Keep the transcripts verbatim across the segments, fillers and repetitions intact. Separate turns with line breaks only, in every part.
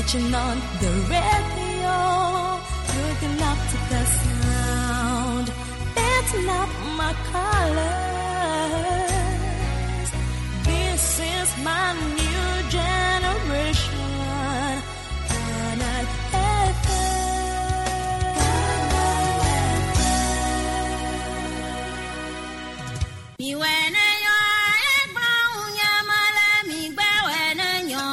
Switching on the radio, looking up to the sound. That's not my colors. This is my new generation. Canal F M.
Miwene yɔ egblɔ ŋunyamele migbɛwɛ ne nyɔ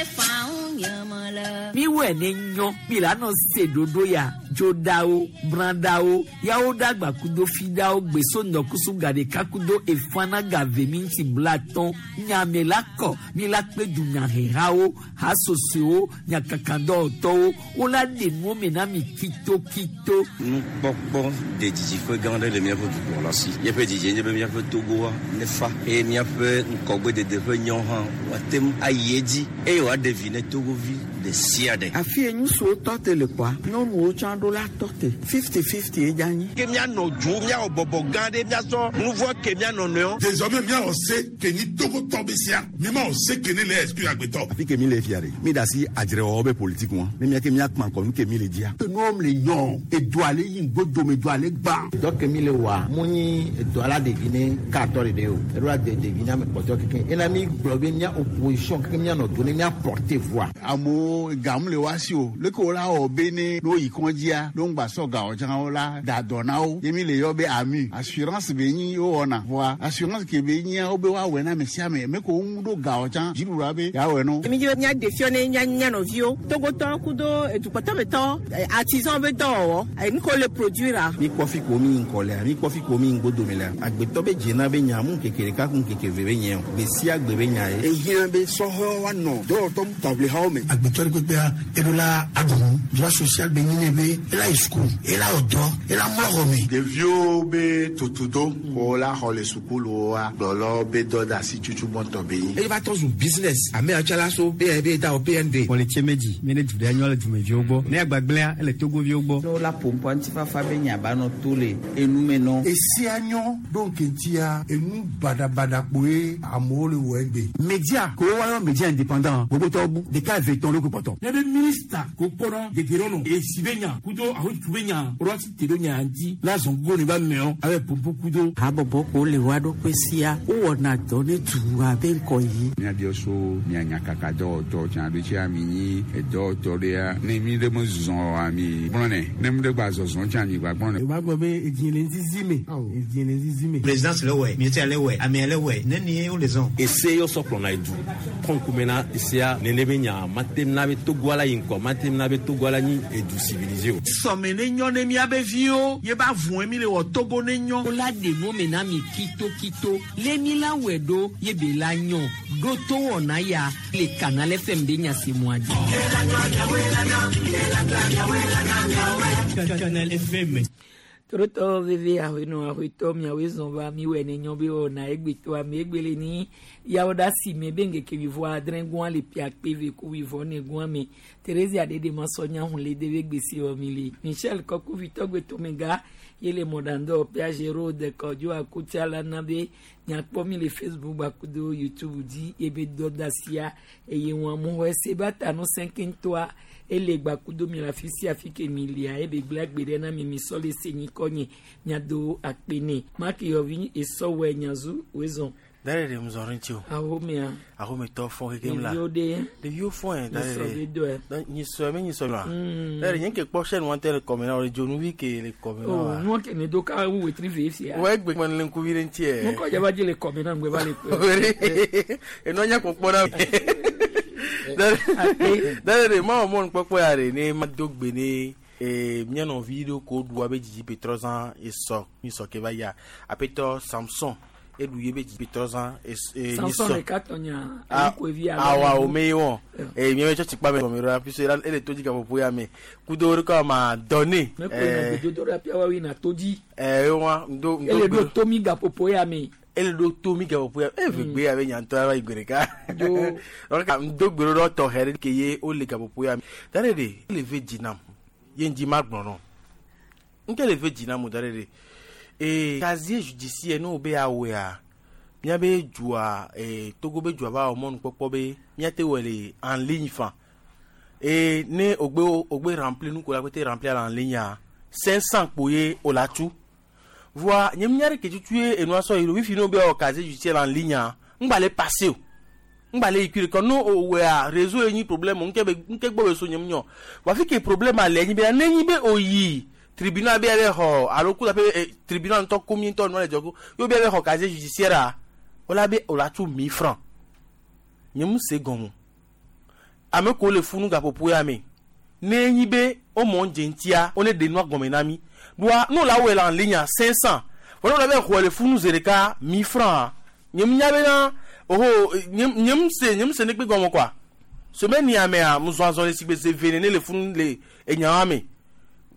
efa ŋunyamele.
Miwɛ ne nyɔ mi la nɔ se ɖoɖo ya dzoɖawo brãɖawo yawo ɖagba kudo fiɖawo gbeso ŋdɔkusu gaɖeka kudo efana gave mi ŋuti blatɔn nyame la kɔ mi la kpe dunyahehawo hasosowo nyakakadɔwɔtɔwo wola ɖe nuwo me na mi kitokito.
Nukpɔkpɔ de didiƒe gã aɖe le míaƒe dukplɔla si. Míaƒe didie nye be míaƒe Togoa nefa eye míaƒe ŋkɔgbedede ƒe nyɔ hã wòate ŋu ayi edzi eye wòaɖe vi ne Togovi ɖe sia ɖe.
Afi ye ŋutsuwo tɔ te le kɔa, nyɔnuwo tsã ɖo la tɔ te fifty fifty ye dza anyi.
Ke míanɔ dzo míawɔ bɔbɔ gã ɖe míasɔ nu vɔ ke míanɔ nɔewo.
Désormais míawɔ se ke ni Togotɔ be sia mímawɔ se ke ne le exclure agbetɔ.
Afi ke mi le fia ɖe mi da asi adzrewɔwɔ be politique ŋua ne mía ke mía kpã kɔ nu ke mi le dzia.
Nuwo le nyɔ edu ale yi ŋgbodome du ale gbã.
Dɔ ke mi le wa mu nyi edɔ ala ɖevi ne katɔ ɖeɖe o eɖo la de ɖevi ne ame kpɔtɔ keke ena mi gblɔ be mía opposition keke mía nɔ do ne mía porter voix.
Amewo gamu le wa si o leke wo la wɔ be ne n'o yi kɔndzia n'o ŋgba sɔ gawɔ tsã wo la da dɔ na wo ye mi le yɔ be AMU assurance be nyi wo wɔna voa assurance ke be nyia wo be woawɔe na ame sia ame me ko wo ŋu ɖo gawɔ tsã dziɖuɖua be yeawɔe no.
Mi dzi be míaɖe fiɔ ne mía mía nɔviwo togotɔ kudo edukpɔtɔmetɔ artisan be dɔwɔwɔ nu ko le produire.
Mi kpɔ fi ko mi ŋkɔ lea mi kpɔ fi ko mi ŋgbodome lea agbetɔ be dzena be nya mu ŋkeke ɖeka ku ŋkeke ve be nye o gbe sia gbe be nya ye.
Ehiã be sɔhɛwo woanɔ dɔwɔtɔ taʋlihawo me.
Agbetɔ ɖe kpekpea eɖo la aɖu droit social be nyi ne be ela yi suku ela wɔ dɔ ela mlɔ xɔ me.
Ɖeviwo be tutudo ko la xɔ le sukuluwoa gblɔlɔ be dɔ da asi tutu gbɔntɔ be nyi.
Eye va trɔ zu business ame yawo tsã la so B N B da o B N D.
Wɔ le tse me dzi mi ne du ɖe nyɔ le dumeviwo gbɔ ne agbagblẽa ele togoviwo gbɔ.
Ne wola ƒoƒoa ŋutifafa be nya ba nɔ to le enume nɔ.
Esia nyɔ ɖo nkeŋtia enu baɖabaɖa kpoe amewo le wɔ egbe.
Média ko woayɔ média indépendant gbogbotɔwo bu ɖeka eve tɔn ɖo kpɔtɔ.
Ne be minista ko kpɔnɔ gɛgɛrɛ nɔ esi be nya kudo ahotu be nya rɔsi te ɖo nya dzi la zɔn go ne ba mɛɔ abe popo kudo.
Habɔbɔ ko le wa ɖokui sia wowɔna dɔ ne dua be ŋkɔ yi.
Míabiɔ so mia nyakaka dɔwɔtɔ tsã ɖo tsia mi nyi edɔwɔtɔ ɖea ne mi ɖe me zɔzɔ oa mi gblɔnɛ ne mi ɖe gba zɔzɔ tsã mi gba gblɔnɛ.
O b'a gbɔ be edzi le zizi me edzi le zizi me.
Présidence le wɛ ministère le wɛ amea le wɛ ne ni wo le zɔn.
Ese yɔ sɔ kplɔna edu kɔnkume na esea nene be nya matem na be togoa la yi ŋkɔ matem na be togoa la nyi edu civilisé o.
Sɔme ne nyɔ ne miabe viwo ye ba vɔn mi le wɔ Togo ne nyɔ.
Wola ɖe nuwo me na mi kitokito lé mi la wɔe ɖo ye be la nyɔ ɖo to wɔna ya le Canal F M be nyasemua dzi.
Canal F M.
Torotɔ veve ahɔenɔ ahɔetɔ miawoe zɔn va miwɔe ne nyɔ be wɔna egbetɔ ame egbele ni yawo ɖe asi me be ŋkeke wivɔ adre gɔa le pia kpe ve ku wivɔ ne gɔa me Terezia ɖeɖe ma sɔ nya hun le de be gbesi wɔ mi le Michel Kɔkuvi tɔgbetɔmega ye le mɔɖandɔ Piage Road kɔdzo akutsa la na be nyakpɔ mi le Facebook gbakudo YouTube dzi ye be dɔdasia eye wɔn amuxɔ ese ba ta nu sɛnkɛntɔa ele gbakudo mi le afi sia afi ke mi lia ebe gblẽ agbe ɖe na mi mi sɔ le se nyikɔ nye miado akpe ne maki yɔvi esɔwɔe nyazu wezɔn.
Dare ɖe mzɔri ŋuti o.
Ahomea.
Ahometɔ fɔ kekem la.
Ɖeviwo ɖe.
Ɖeviwo fɔ yɛn dare
Nyisɔ
ɖe.
be dɔe.
Donc nyisɔ mi nyisɔ la.
Mm.
Dare nye ke kpɔ chaîne wɔn tɛ le kɔmɛ na o le dzonuvi ke le kɔmɛ na
O
wa.
nua ke ne do ka wu wetri ve fia.
Wɔ egbe kpɔ ne le ŋkuvi ɖe ŋuti yɛ.
Nukɔ dzaba dzi le kɔmɛ na ŋgbɛ va le kpɛ.
Enɔ nya kpɔkpɔ na. Dare ɖe mawɔ mɔnu kpɔkpɔ ya ɖe ne ma do gbe ne ee mía nɔvi ɖewo ko ɖu abe dzidzi petrɔzã esɔ nyisɔ ke va yia aƒetɔ Samson eɖu ye be dzidzi petrɔzã es ee
Samson
nyisɔ.
ɖeka tɔ nya
Ah,
ayikoevi
awa o me wɔn ee miabe tsɔtsi kpa me gɔme ɖo puisque ele to dzi gaƒoƒo ya me kudo ɖe kɔ ma dɔne.
Ne ko yina gbedodo ɖe apia wa yina to dzi.
ɛɛ wa ŋdo ŋdo
Ele ɖo tomi gaƒoƒo ya me.
Ele ɖo tomi gaƒoƒo ya e vegbe ya be nyantɔ ya va yi gbe ɖeka.
Dzo.
Donc ŋdo gbe ɖo tɔxɛ ɖe ke ye wole gaƒoƒo ya me da ɖe ɖe ele ve dzi nam ye ŋdzi ma gblɔ nɔ nke le ve dzi nam o da ɖe ɖe ee casier judiciaire ne wo be awɔea miabe dua ee Togo be dua va wɔ mɔnukpɔkpɔ be miate wɔ le en ligne fan. Et ne ogbe ogbe remplir nu ko la côté remplir en ligne cinq cents poye o la tu. Voa nyem nyare ke tu e no so iro wifi no be o casier judiciaire en ligne ngba le passer. Ngba le ikure kon no o we a réseau eni problème nke be nke gbo be so nyem nyo. Wa fi ke problème ale nyi be na nyi be oyi tribunal be be ho alo ku la pe tribunal to combien to no le jogo yo be be ho casier judiciaire a o la be o la tu mille francs. Nyem se gonmu. Ame ko le funu ga popo ya me. Ne nyi be o mo njentia o ne de no gomena mi. Doa nous la où en ligne à cinq cents. Voilà on avait quoi le funu zereka mille francs. Nyem nyabe na oh nyem nyem se nyem se ne pe gomo quoi. Semaine ni ame a muzo le sigbe se venene le funu le enyawa me.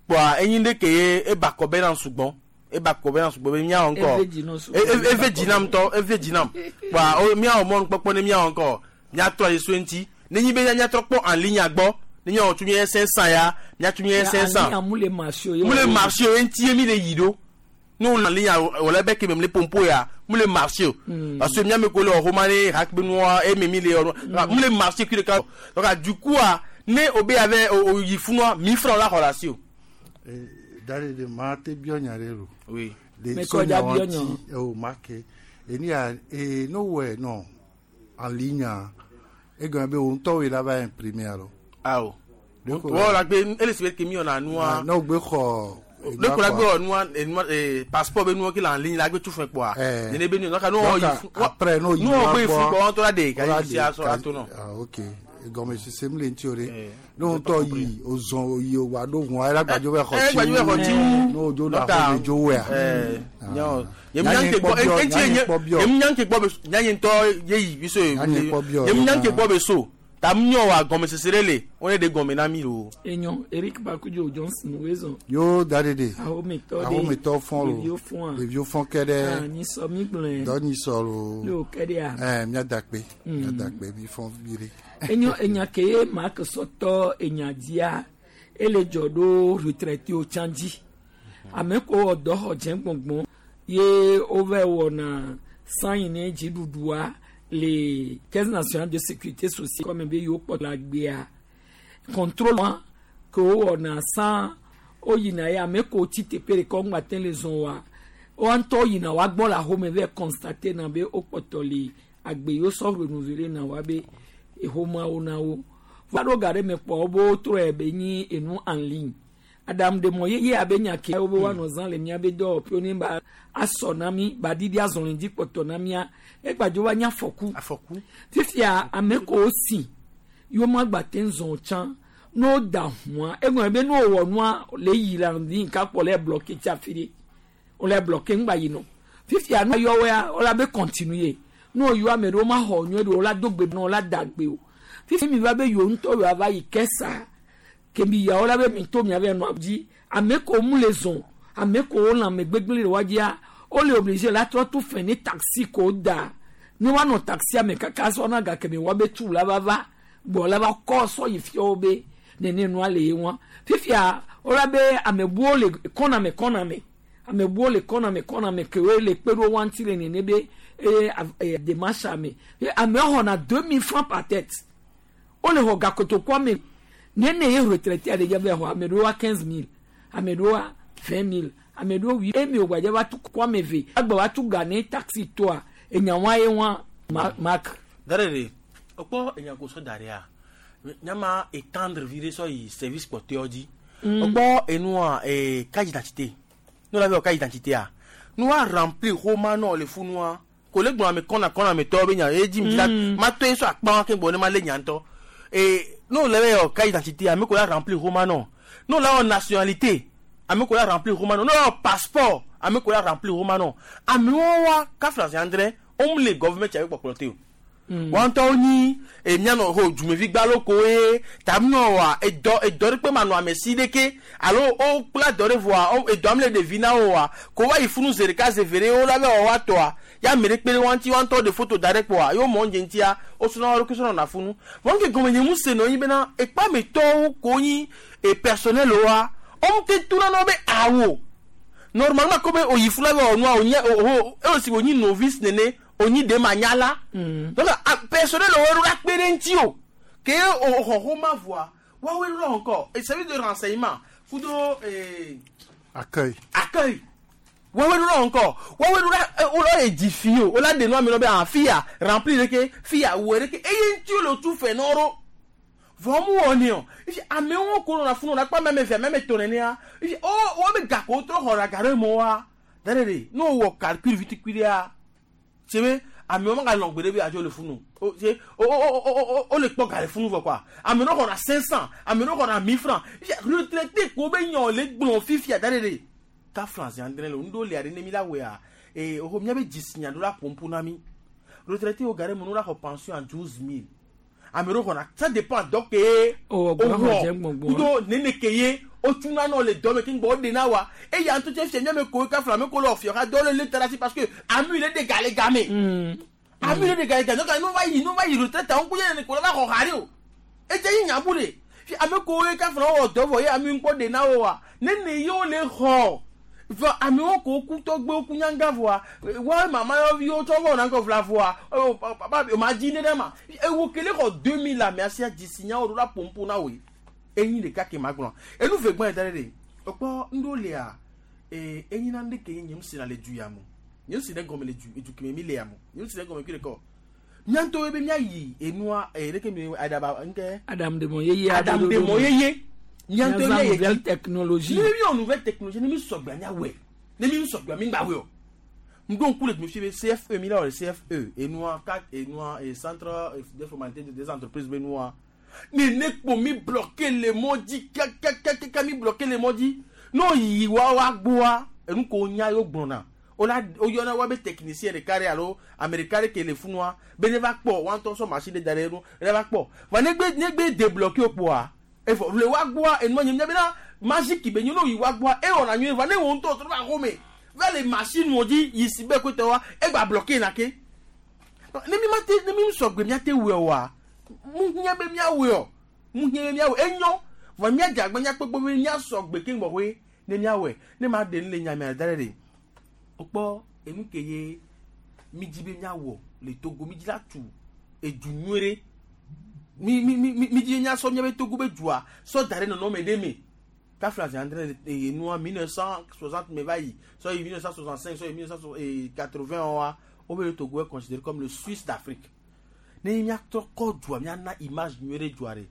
Quoi enyi de ke e ba ko be na sugbon. E ba ko be na sugbon be mia encore. E e dinam to e dinam. Quoi o mia o mon popo ne mia encore. Mia trois soenti. Ne nyi be nya trop en ligne agbo. Ni on tu mien cinq cents ya, nya tu mien cinq cents.
Mule marché
mule marché entier mi le yido. Nous en ligne on la bec même les pompo ya, mule marché. Parce que mia me collé au romané, rak benoît et même les mule marché qui le donc du coup né obé avait au yifunwa mille francs la relation.
D'aller de mate bionarero.
Oui.
Mais quoi bionyo.
Oh marqué. Et ni a et no ouais non en ligne. Et quand be on to il va imprimer alors.
Ah oh. Voilà, elle se met que mi on a noir.
Non, be xɔ.
Le ko la gbe noir et passeport be noir qui en ligne la gbe tout fait quoi. Ne be no ka no
après no
yi. No be fu ko on to la de ka si aso ato no.
Ah OK. Gome si se mle ntiore. No to yi ozon yi o wa do won ala gbajo be xɔ
ti. Gbajo be xɔ ti.
No jo na xɔ me jo we a.
Eh. Nyo. Yem nyanke gbo enti yem nyanke gbo be nyanyin to ye yi bi so. Yem nyanke gbo be so. Tam nyo wa gome sesere on est de gome na mi lo.
Enyo Eric Bakujo Johnson wezo.
Yo dadede.
Aho me to de.
Aho me to fon lo.
Le vieux fon.
Le vieux fon kede.
Ah ni so mi gblen.
Do ni so lo.
Lo kede a.
Eh mi adakpe. Mi adakpe mi fon vire.
Enyo enya ke Mark Soto enya dia ele jodo retraité o chanji. Ame ko odo ho je gbongbon ye over wona sign ni jidudua. Les caisses nationales de sécurité sociale comme be yo po la gbea contrôle que on a sans oyina ya me ko ti tepere ko ngba ten les on wa o an to yina wa gbon la home ve constater na be o potoli agbe yo so renouveler na wa be e homa ona o va do gare me po bo tro e be ni enu en ligne adam de moye ye abenya ke o be wa no zan le mi abe do pio ni ba asonami ba didi azonlin di potonamia e gbajo wa nya foku
afoku
fifia ameko osi yo ma gba tenzon chan no da huan egun be no wo nua le yira ndi nka po le bloquer ti afiri o le bloquer ngba yino fifia no yo we o la be continuer no yo amero ma ho nyu do la dogbe no la dagbe o fifi mi va be yo nto yo ava yi kesa kebi ya ola be mi to mi ave no abji ameko mu les on ameko on me gbegbele wajia o le obligé la tro tout fait ni taxi ko da ni wa no taxi ame kaka so na ga kemi wa be tu la baba bo la ba ko so yi fi obe nene no ale won fifia ola be amebuo le kona me kona me amebuo le kona me kona me ke we le pero wan ti le nene be e démarche ame ame ho na deux mille francs par tête o le ho ga koto kwa me nene ye retraité ale jabe ho amedo quinze mille amedo vingt mille amedo wi emi ogbaje wa tu kwa meve agba wa tu gane taxi toi enyanwa ye won mark
darere opo enyan ko so dare a nyama étendre virer so yi service porteur di opo enu a e carte d'identité nous l'avons carte d'identité a nous a remplir romano le funua collègue moi me kona kona me to be nya e di mi ma to so akpa ke bo ne ma le nyanto et nous l'avons carte d'identité a me ko la remplir romano nous l'avons nationalité ame ko la remplir romano non passeport ame ko la remplir romano ame wa ka France André on le government avec ploté o wan to ni e mi ano ho jumevi gba loko e ta mi no wa e do e do pe ma no ame si deke alo o pla do revoir o e do am le de vina o wa ko wa ifunu zereka zevere o la be o wa to a ya mere pere wan ti wan to de photo direct wa yo mo nje ntia o suna ro kiso na funu won ke gomenye mu se no yin be na e pa me to ko yin e personnel wa on te tourne no be awo normalement comme o yifula be onu o nya o o si oni novice nene oni de manyala donc personnel o ro la pere nti o ke o ho ho ma voix Woawoe lɔ ŋkɔ et service de renseignement kudo ee.
Accueil.
Accueil. Woawoe lɔ ŋkɔ woawoe lɔ wolɔ édifié o wola de nu ame lɔ be ah fia rempli ɖeke fia wɔ ɖeke eye ŋuti wole tu fɛ nɔrɔ vɔ mu wɔ ne o ifi amewo ko nɔna funu nakpa mɛmɛ vɛ mɛmɛ tɔ nenea ifi o wo be gako trɔ xɔ ɖe ga ɖe mɔ wa da ɖe ɖe ne wowɔ calcul vitikui ɖea tse amewo ma ga lɔn gbe ɖe be adzo le funu o tse o o o o o le kpɔ ga le funu vɔ quoi ame ɖewo xɔna cinq cent ame ɖewo xɔna mille francs ifi retraité ko be nyɔ le gblɔ fifia da ɖe ɖe ka france andre le ŋdo le aɖe ne mi la wɔa ee o mía be dzisinya ɖo la ƒoƒu na mi retraité wo ga ɖe me no la xɔ pension à douze mille ame ɖewo xɔna ça dépend dɔ ke
o
wɔ kudo nene ke ye wotuna nɔ le dɔ me ke ŋgbɔ woɖe na wa eya ŋutɔ tse fia míame ko ka fila ame ko le ɔfiɔ ka dɔ le le ta ɖe asi parce que ami le de ga le game ami le de ga le game donc nu va yi nu va yi retraite ŋku ye ne ko le va xɔ ha ɖe o edze yi nyabu ɖe fi ame ko ye ka fila wɔ dɔ vɔ ye ami ŋkpɔ ɖe na wo wa nene ye wo le xɔ vɔ amewo ko ku tɔgbewo ku nyanga vɔa wa mama yɔviwo tsɔ vɔ nakɔ fila vɔa o papa o ma dzi ne ɖe ma ewo kele xɔ deux mille ame asia dzisi nyawo ɖo la pompo na woe enyi ɖeka ke ma gblɔ enu ve gbɔn yi da ɖe ɖe ekpɔ ŋɖo lia ee enyi na ŋɖe ke nye ŋu si na le du ya mo nye ŋu si ne gɔme le du edu keme mi le ya mo nye ŋu si ne gɔme kui ɖeka o miantɔwo be miayi enua ee ɖeke mi aɖaba ŋkɛ
Adam de mo yeye
Adam de mo yeye miantɔwo
miaza
miayi
nouvelle technologie
ne mi wɔ nouvelle technologie ne mi sɔgbea miawɔe ne mi sɔgbea mi gba wɔe o ŋdo ŋku le fi be CFE mi la wɔ le CFE enua kat enua e centre de formalité des entreprises be nua ne ne kpo mi bloqué le mɔ dzi kakakaka mi bloqué le mɔ dzi n'o yi wa wa gbɔa enu ko nya yio gblɔna wola woyɔna wa be technicien ɖeka ɖe alo ame ɖeka ɖe ke le funua be ne va kpɔ wa ŋutɔ sɔ machine ɖe da ɖe enu ne va kpɔ va ne gbe ne gbe débloqué o kpoa evɔ le wa gbɔa enua nye mia bena magique be nye n'o yi wa gbɔa ewɔna nyuie va ne wo ŋutɔ trɔ va xɔme va le machine wo dzi yi si be koe wa egba bloqué na ke ne mi ma te ne mi sɔgbe mia te wɔe oa mu hiã be miawɔe o mu hiã be miawɔe enyo vɔ miadze agbe miakpekpe be miasɔgbe ke ŋgbɔxɔe ne miawɔe ne ma ɖe nu le nyamea da ɖe ɖe wokpɔ enu ke ye mi dzi be miawɔ le Togo mi dzi la tu edu nyuie ɖe mi mi mi mi dzi miasɔ miabe Togo be dua sɔ da ɖe nɔnɔme ɖe me kafla zi andre enua mille neuf cent soixante me va yi sɔ yi mille neuf cent soixante cinq sɔ yi mille neuf cent quatre-vingt wa wobe Togo est considéré comme le Suisse d'Afrique ne miatrɔ kɔ dua miana image nyuie ɖe dua ɖe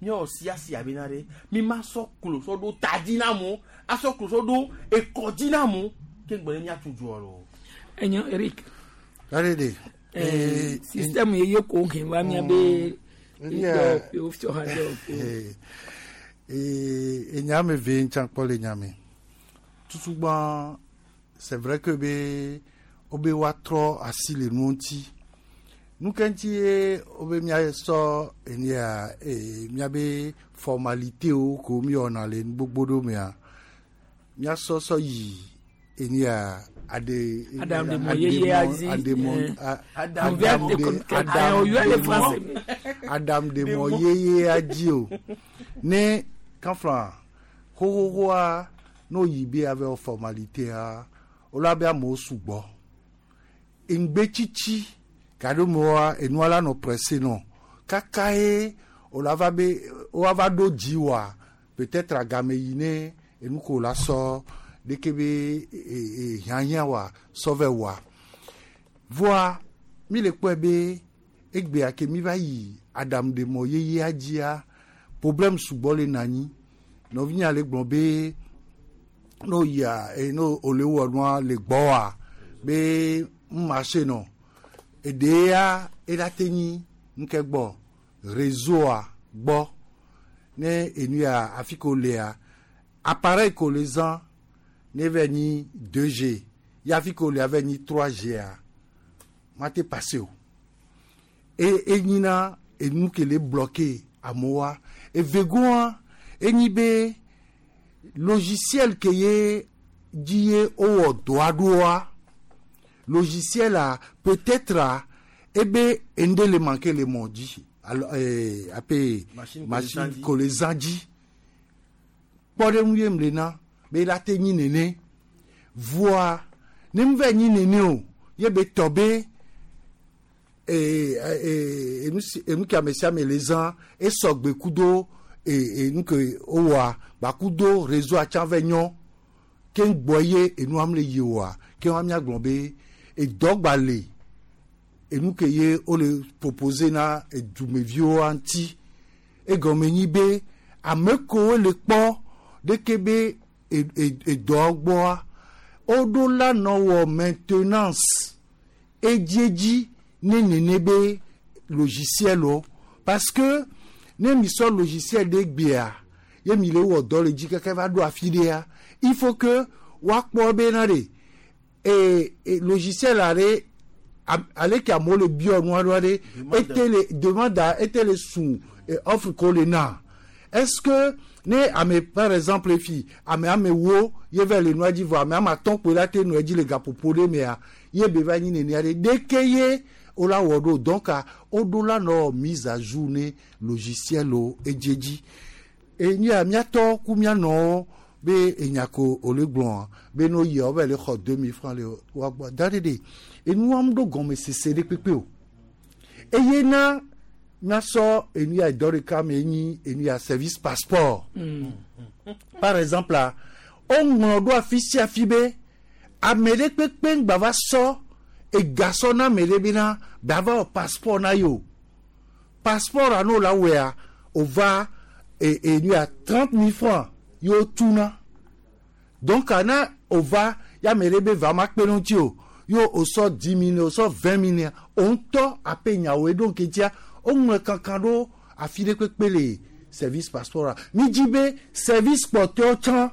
miawɔ siasi abena ɖe mi ma sɔ klo sɔ ɖo ta dzi na amewo asɔ klo sɔ ɖo ekɔ dzi na amewo ke ŋgbɔ ne miatu dua lo.
Enyo Eric.
Arede.
Eh, système yeye ko hin va miabe
Yeah.
dɔwɔƒewo fiɔha dɔwɔƒewo.
Eh, enya me ve ŋtsa kpɔ le nya me tutugbã c'est vrai que be wobe woatrɔ asi le nuwo ŋuti nu ke ŋuti ye wobe miasɔ enia eh, miabe formalitéwo ko miwɔna le nu gbogbo ɖewo mea miasɔ sɔ yi enia ade
Adam de mo yeye azi,
ademɔ
eh,
a-
Adam
Adam
de
de
Adam
Adam
le
de
français.
mɔ Adam de mɔ yeye adzi o ne kanfla xoxoxoa n'o yi be ave wɔ formalitéa wola be amewo sugbɔ ŋgbetsitsi gaɖomewoa enua la nɔ pressé nɔ kaka ye wola va be woava ɖo dzi wa peut-être agame yi ne enu ko la sɔ ɖeke be e e hiãhiã wa sɔ vɛ wa voa mi le kpɔe be egbea ke mi va yi aɖaŋuɖemɔ yeyea dzia problème sugbɔ le na anyi nɔvinya le gblɔ be n'o yia e n'o ole wɔ nua le gbɔa be ŋmarché nɔ eɖea ela te nyi ŋke gbɔ réseau gbɔ ne enu ya afi ko lea appareil ko le zã ne va nyi deux G ya afi ko lea va nyi trois G a ma te passe o e enyina enu ke le bloqué amewoa evegoa enyi be logiciel ke ye dzi ye wowɔ dɔa ɖoa logiciel a peut-être a ebe ende le manqué le mɔ dzi alo eh, ape
Machine
machine
ko le zã
ko le zã dzi kpɔɖeŋu ye mle na be la te nyi nene voa ne mu va nyi nene o ye be tɔ be eh, eh, enu si- enu ke ame sia ame le zã esɔgbe kudo e e nuke wowɔa gbakudo réseau atsã vɛ nyɔ ke ŋgbɔ ye enua mle yi oa ke wa miagblɔ be edɔ gba le enu ke ye wole proposer na edumeviwo ŋuti egɔme nyi be ame kewo le kpɔ ɖeke be edɔ gbɔa woɖo la nɔ wɔ maintenance edziedzi ne nene be logiciel wo parce que ne mi sɔ logiciel ɖe gbea ye mi le wɔ dɔ le dzi kaka va ɖo afi ɖea il faut que woakpɔ bena ɖe e, e logiciel la ɖe ale ke amewo le biɔ nua ɖoa ɖe ete le demande ete le sun offre ko le na est-ce que ne ame par exemple fi ame ame wo ye va le nua dzi vɔ ame ame atɔ̃ kpoe la te nua dzi le gaƒoƒo ɖe mea ye be va nyi nenea ɖe ɖeke ye wola wɔ ɖo donc woɖo la nɔ mise à jour ne logiciel wo edziedzi enya miatɔ ku mianɔwo be enya ko wòle gblɔa be no yia wo va le xɔ deux mille francs le woagbɔ da ɖe ɖe enua mu ɖo gɔmesese ɖe kpekpe o eye na miasɔ enu ya dɔ ɖeka me nyi enu ya service passeport mm. par exemple la woŋlɔ ɖo afi sia afi be ame ɖe kpekpe ŋgba va sɔ egasɔ na ame ɖe bena ba va wɔ passeport na ye o passeport ano la wɔa o va e enu ya trente mille francs ye wo tuna donc ana o va ya ame ɖe be va ma kpe ɖe ŋuti o yo o sɔ dix mille o sɔ vingt mille o ŋutɔ ape nyawo ɖo ŋketia woŋlɔ kankan ɖo afi ɖe kpekpe le service passeport la mi dzi be service kpɔtɔewo tsã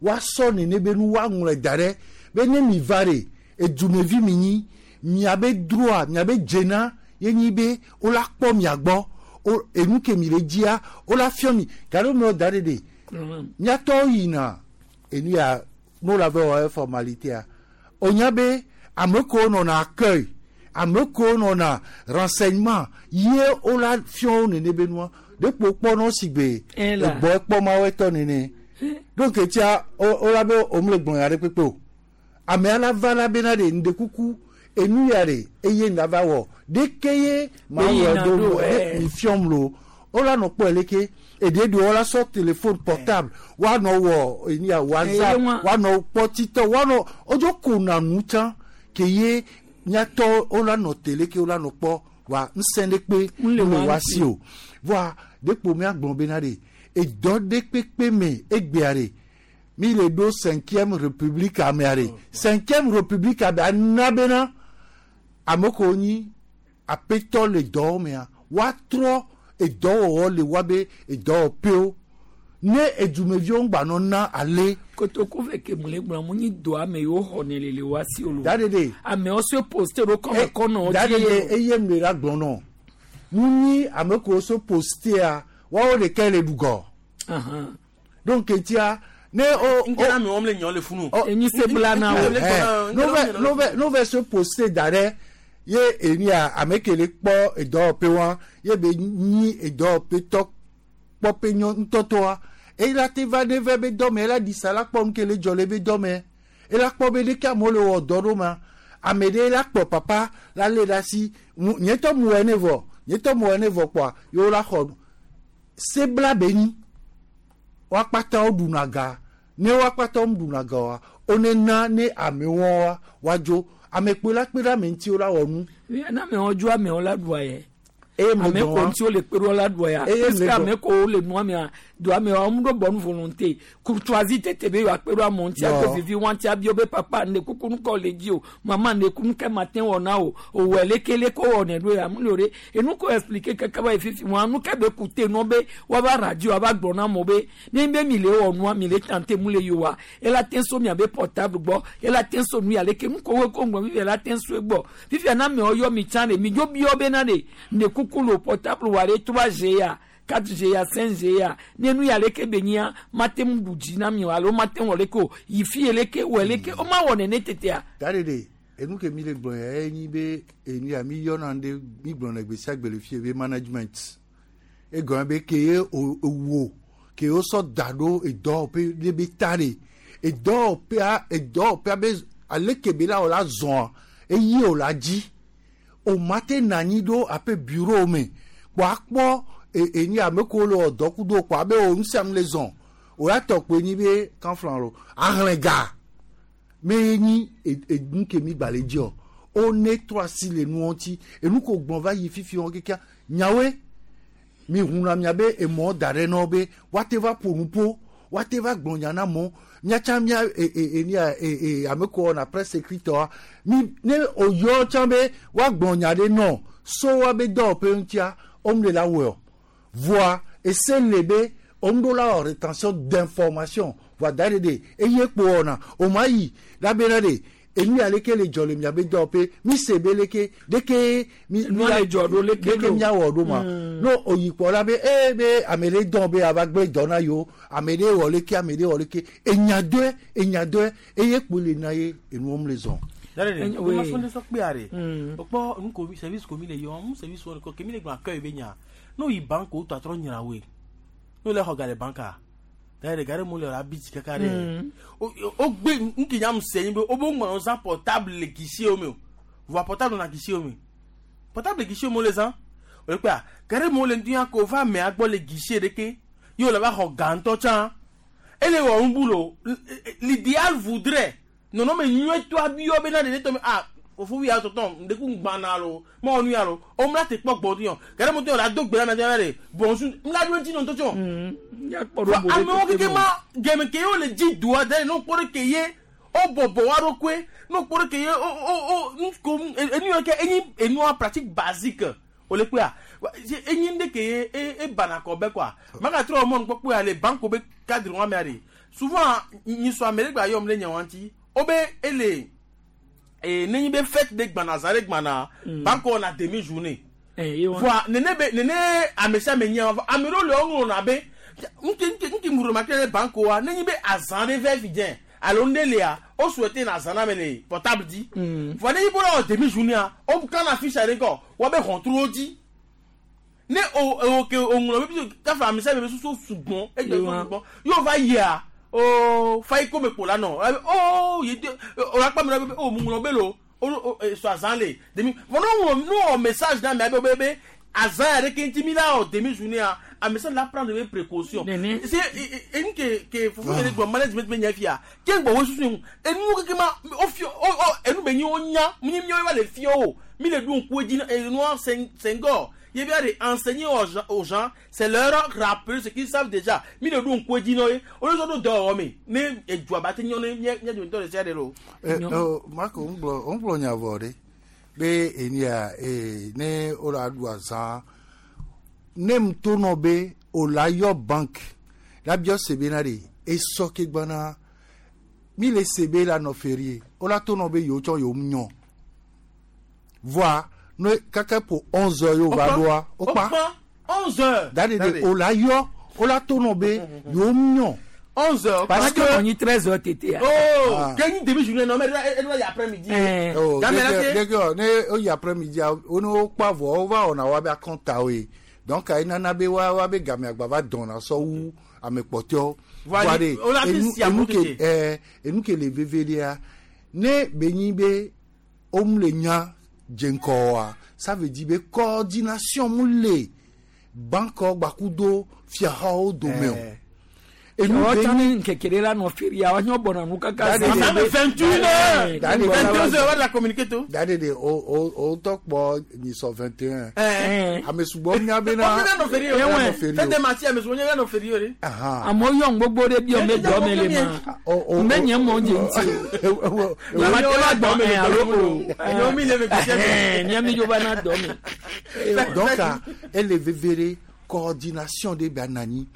woasɔ nene be nu woaŋlɔe da ɖe be ne mi va ɖe edumevi mi nyi miabe droit miabe dzena ye nyi be wola kpɔ mia gbɔ o enu ke mi le dzia wola fiɔ mi gake me da ɖe ɖe miatɔwo yina enu ya no la vɛ wɔ formalité onya be ame kewo nɔna accueil ame kewo nɔna renseignement ye wola fiɔ wo nene be nua ɖekpo kpɔnɔ si gbe egbɔ ekpɔ mawo etɔ nene donc etia wola be omle gblɔ ya ɖe kpekpe o ame ala va la bena ɖe ŋdekuku enu ya ɖe eye ŋda va wɔ ɖeke ye ma wɔ do mi fiɔm lo wola nɔ kpɔe leke eɖe ɖe wola sɔ téléphone portable woanɔ wɔ enu ya whatsapp woanɔ kpɔ titɔ woanɔ wodzo kona nu tsã ke ye miatɔ wola nɔ télé ke wola nɔ kpɔ wa ŋusẽ ɖe kpe le wa si o voa ɖekpo miagblɔ bena ɖe edɔ ɖe kpekpe me egbea ɖe mi le ɖo cinquième république amea ɖe cinquième république amea ana bena ame kewo nyi aƒetɔ le dɔwɔ mea woatrɔ edɔwɔwɔ le woabe edɔwɔƒewo ne edumeviwo ŋgba na ale.
Kotoku ve ke mu le gblɔ mu nyi do ame yiwo xɔ ne le le wa si o lo.
Da ɖe ɖe.
Amewo se poste ɖo kɔme kɔnɔ
da ɖe ɖe eye mu le la gblɔ nɔ mu nyi ame kewo se postea woawo ɖeka le ɖugɔ. Donc etia ne o.
Nkɛ ame wɔm le nyɔ le funu.
Enyi se bla na
wo. No vɛ no vɛ se poste da ɖe ye enia ame ke le kpɔ edɔwɔƒe wa ye be nyi edɔwɔƒe tɔ kpɔƒe nyɔ ŋutɔtɔa eye la te va ne vɛ be dɔme ela ɖi sa la kpɔ nu ke le dzɔ le be dɔme ela kpɔ be ɖeke amewo le wɔ dɔ ɖo ma ame ɖe la kplɔ papa la lé ɖe asi nye tɔ mu wɔ ne vɔ nye tɔ mu wɔ ne vɔ kpɔa yewo la xɔ sebla be nyi woakpata wo ɖuna ga ne woakpata wo ɖuna ga wa wo ne na ne amewo wa woadzo ame kpe la kpe ɖe ame ŋuti wo la wɔ nu.
Na amewo dzo amewo la ɖua yɛ. Ame ko ŋuti wo le kpe ɖo la ɖua ya. Puisque ame ko le nua mea do amewo wo ɖo bɔ nu volonté courtoisie tete be yewoa kpe ɖo amewo ŋuti ato vivi wa ŋuti abio be papa ne kuku nukɔ le dzi o mama ne kuku nuke ma te wɔ na o owɔ leke leke wɔ ne ɖo ya mu le o ɖe enu ko expliquer keke va yi fifi wa nuke be kute nɔ be woava radio ava gblɔ na amewo be ne be mi le wɔ nua mi le tante mu le yi wa ela te so miabe portable gbɔ ela te so nu ya leke nuko wo ko ŋgɔ fifi ela te so egbɔ fifi na amewo yɔ mi tsã ɖe mi dzo biɔ bena ɖe ne kuku le portable wa ɖe trois G ya quatre G ya cinq G ya ne nu ya leke be nyia mate ŋu ɖu dzi na mi o alo mate ŋu wɔ leke o yi fi ye leke wɔ leke o ma wɔ nene tetea.
Da ɖe ɖe enu ke mi le gblɔ ya enyi be enu ya mi yɔna ɖe mi gblɔ le gbe sia gbe le fie be management egɔme be ke ye o wo ke wo sɔ da ɖo edɔwɔƒe ɖe be ta ɖe edɔwɔƒea edɔwɔƒea be aleke be la wò la zɔa eye wò la dzi o ma te na anyi ɖo aƒe bureau me kpɔ akpɔ enyi ame ko le wɔ dɔ kudo kɔ abe o nusianu le zɔn o ya tɔ kpe nyi be kanflan lo ahlẽ ga me nyi enu ke mi gba le dzi o o ne trɔ asi le nua ŋuti enu ko gbɔn va yi fifi wɔn kekea nyawoe mi hunna miabe emɔ da ɖe nɔ be woate va ƒo nu ƒo woate va gblɔ nya na mɔ miatsa mia e e e nia e e ame ko wɔna presse écrite wa mi ne o yɔ tsã be woagblɔ nya ɖe nɔ so woabe dɔwɔƒe ŋutia om le la wɔe o voa ese le be om ɖo la wɔ rétention d'information voa da ɖe ɖe eye kpo wɔna o ma yi la bena ɖe enu ya leke le dzɔ le miabe dɔwɔƒe mi se be leke leke mi
Nua le dzɔ ɖo leke
leke
lo.
miawɔ ɖo ma
Mm.
no oyi kpɔ la be ee be ame ɖe dɔn be ava gblẽ dɔ na yewo ame ɖe wɔ leke ame ɖe wɔ leke enya dɔe enya dɔe eye kpo le na ye enuwo le zɔn.
Dare
Enye-
ma
oui.
fɔ ne sɔ kpe are.
Mm.
O kpɔ nu ko service ko mi le yɔ mu service wɔn ko kemi le gbɔn akɔyi be nya. N'o yi banque o tɔ atrɔ nyina we. N'o le xɔ ga le banque a. Dare gare mo le ra biti kaka ɖe.
Mm.
O o gbe nke nya mu se nyi be o bo ŋlɔ zã portable le guichet o me o. Voa portable na guichet o me. Portable le guichet o me o le zã. O le kpea gare mo le ŋuti ko va amea gbɔ le guichet ɖeke ye o le va xɔ ga ŋutɔ tsã. Ele wɔ nu bu lo l'idéal voudrait nɔnɔme nyuietɔ abiɔ bena ɖeɖe tɔ me ah fofo ya tɔtɔ ŋdeku gbana lo mɔ nu ya lo o mla te kpɔ gbɔ yɔ gare mo tɔ la do gbe la mɛ de bonsu mla do ŋuti nɔ ŋutɔ tsɔ
Ya kpɔ ɖo bo ɖe
amewo
tete
keke
mo.
ma gɛmɛ ke ye wo le dzi doa da ne kpɔ ɖe ke ye o bɔbɔ wa ɖokoe ne kpɔ ɖe ke ye o o o nuko enu yɔ ke enyi enua pratique basique o le kpea enyi ɖe ke ye e e bana kɔ bɛ quoi maka trɔ mɔnu kpɔ kpea le banque be cadre wa mea de souvent nyisɔ ame ɖe gba yɔm ɖe nye wa ŋuti o be ele ee ne nyi be fête de gbana zã ɖe gbana banque wɔna demi journée
Eh, ye wa.
voa nene be nene ame sia ame nyia va ame ɖewo le wo ŋlɔna be ŋke ŋke ŋke mu remarque ɖe banque wa ne nyi be azã ɖe vɛ fi dze alo ŋɖe lia o souhaité na azã na me le portable dzi
Mm.
voa ne nyi be wole wɔ demi journée o kana fiche ɖe ŋkɔ woabe hɔntruwo dzi ne o o ke o ŋlɔ be bi kafa ame sia ame be susu sugbɔn egbe
Ye
susu
wa.
sugbɔn yóò va yia o fayi ko me kpo la nɔ o yi de o la kpa mi la be o mu ŋlɔ be lo o o sɔ azã le demi vɔ ne ŋlɔ ne wɔ message na mia be be be azã ya ɖe ke ŋuti mi la wɔ demi journée a ame sia la prendre be précaution
Nene.
c'est enu ke ke fofo yɛrɛ gbɔ management be nya fia ke gbɔ wo susu enu keke ma o fi o o enu be nyi o nya mi mi va le fia o mi le ɖo ŋku edzi enua Senghor ye bia de enseigner aux gens, aux gens c'est leur rappeler ce qu'ils savent déjà mi le ɖo ŋku edzi na ye o le sɔ ɖo dɔwɔwɔ me ne edua ba te nyɔ ne mía mía dometɔ ɖe sia ɖe lo.
Ɛ ɔ Marco ŋgblɔ ŋgblɔ nya vɔ ɖe be enia ee ne o la ɖu azã ne ŋutɔ nɔ be o la yɔ banque la biɔ se bena ɖe esɔ ke gbana mi le se be la nɔ ferie o la to nɔ be yewo tsɔ yewo nyɔ voa ne kaka po onze heures yewo va ɖoa o kpa
onze heures.
da de de o la yɔ o la to nɔ be yewo nyɔ.
onze heures.
Parce que
on treize heures tete.
Oh,
Ah.
ke nyi demi journée non mais e e yi après midi.
Oh,
Game la
dès
te-
que- dès que ne o yi après midi o ne o kpa vɔ o va wɔna wa be akɔnta o ye donc ayi nana be wa wa be game agba va dɔnna sɔ wu ame kpɔtɔewo.
Voa
de
o la ti si
enu
amu
ke
tete.
ɛɛ enu ke le veve ɖea ne be nyi be o mu le nya dze ŋkɔ wa ça veut dire be coordination mu le banque gbakudo fiahawo dome o.
Enu
Enu be
tsã ne ŋkeke ɖe la nɔ feria wa nyɔ bɔna nu kaka.
Da de-
Ça me vingt une heures.
Da de-
vingt-deux heures wa de la communiquer to.
Da de de o o o tɔ kpɔ nyisɔ vingt et un.
Eh.
Ame sugbɔ nya bena.
O bena nɔ ferie o.
Ena nɔ ferie
Fête
o.
des martyrs ame sugbɔ nya nɔ ferie o de.
Ahan.
Amewo yɔ gbogbo ɖe biɔ me dɔ me le ma.
O o
Me nye mɔ dze ŋuti o. Lama te va dɔ me alo o.
Nyɔ mi le ve gbèsè.
Ɛhɛn, Mía mi dzo va na dɔ me.
Donc ah, ele veve ɖe coordination ɖe be ananyi.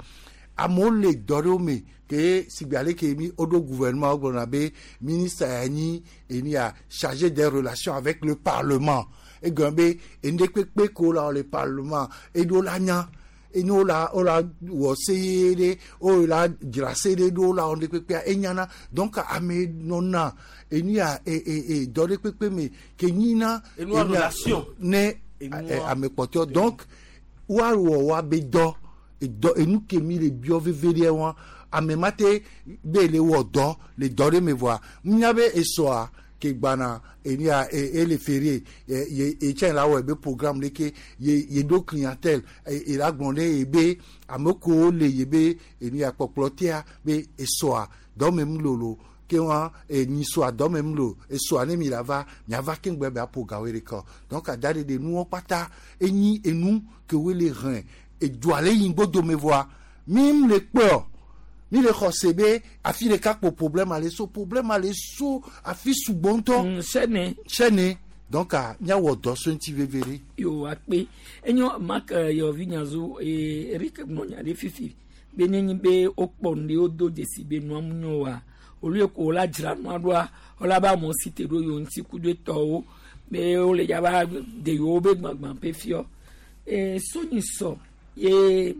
Amewo le dɔ ɖewo me ke sigbe ale ke mi woɖo gouvernement wo gblɔna be ministre ya nyi eni ya chargé des relations avec le parlement. Egɔme be enu ɖe kpekpe ko la wɔ le parlement eɖo la nya. Eni wo la wo la wɔ se ye ɖe wo la dzra se ɖe ɖo wo la wɔ nu ɖe kpekpea enyana donc ame nɔna enu ya e e e dɔ ɖe kpekpe me ke nyina
Enua
enu ya-
relation.
ne
Enua-
ɛ, ame kpɔtɔewo donc woawɔ woabe dɔ edɔ enu ke mi le biɔ veve ɖe wa ame ma te be le wɔ dɔ le dɔ ɖe me vɔa nya be esɔa Ke gbana enia e ele ferie ye e tse la wɔ ebe programme ɖe ke ye ye ɖo clientèle e la gblɔ ne ye be ame kewo le ye be enia kpɔkplɔ tea be esɔa dɔme mu lolo ke wa enyisoa dɔme mu lo esɔa ne mi la va miava keŋgbe be aƒo gawoe ɖeka donc ada ɖe ɖe nuwo kpata enyi enu ke woe le hɛn edua le yi ŋgbodome voa mi mu le kpɔe mi le xɔse be afi ɖeka kpo problème ale so problème ale so afi sugbɔ ŋutɔ.
sɛnɛ.
sɛnɛ donc miawɔ dɔ so ŋuti veve ɖe.
yo akpe enyo mak yɔvi nyazu ee Eric gblɔ nya ɖe fifi be nenye be wokpɔ nu ɖe wodo dzesi be nua mu nyo wa olu yi ko wola dzra nua ɖoa wola be amewo si te ɖo yewo ŋuti ku ɖe tɔwo be wole dzaba de yewo be gbagbã ƒe fiɔ ee sonyi sɔ ye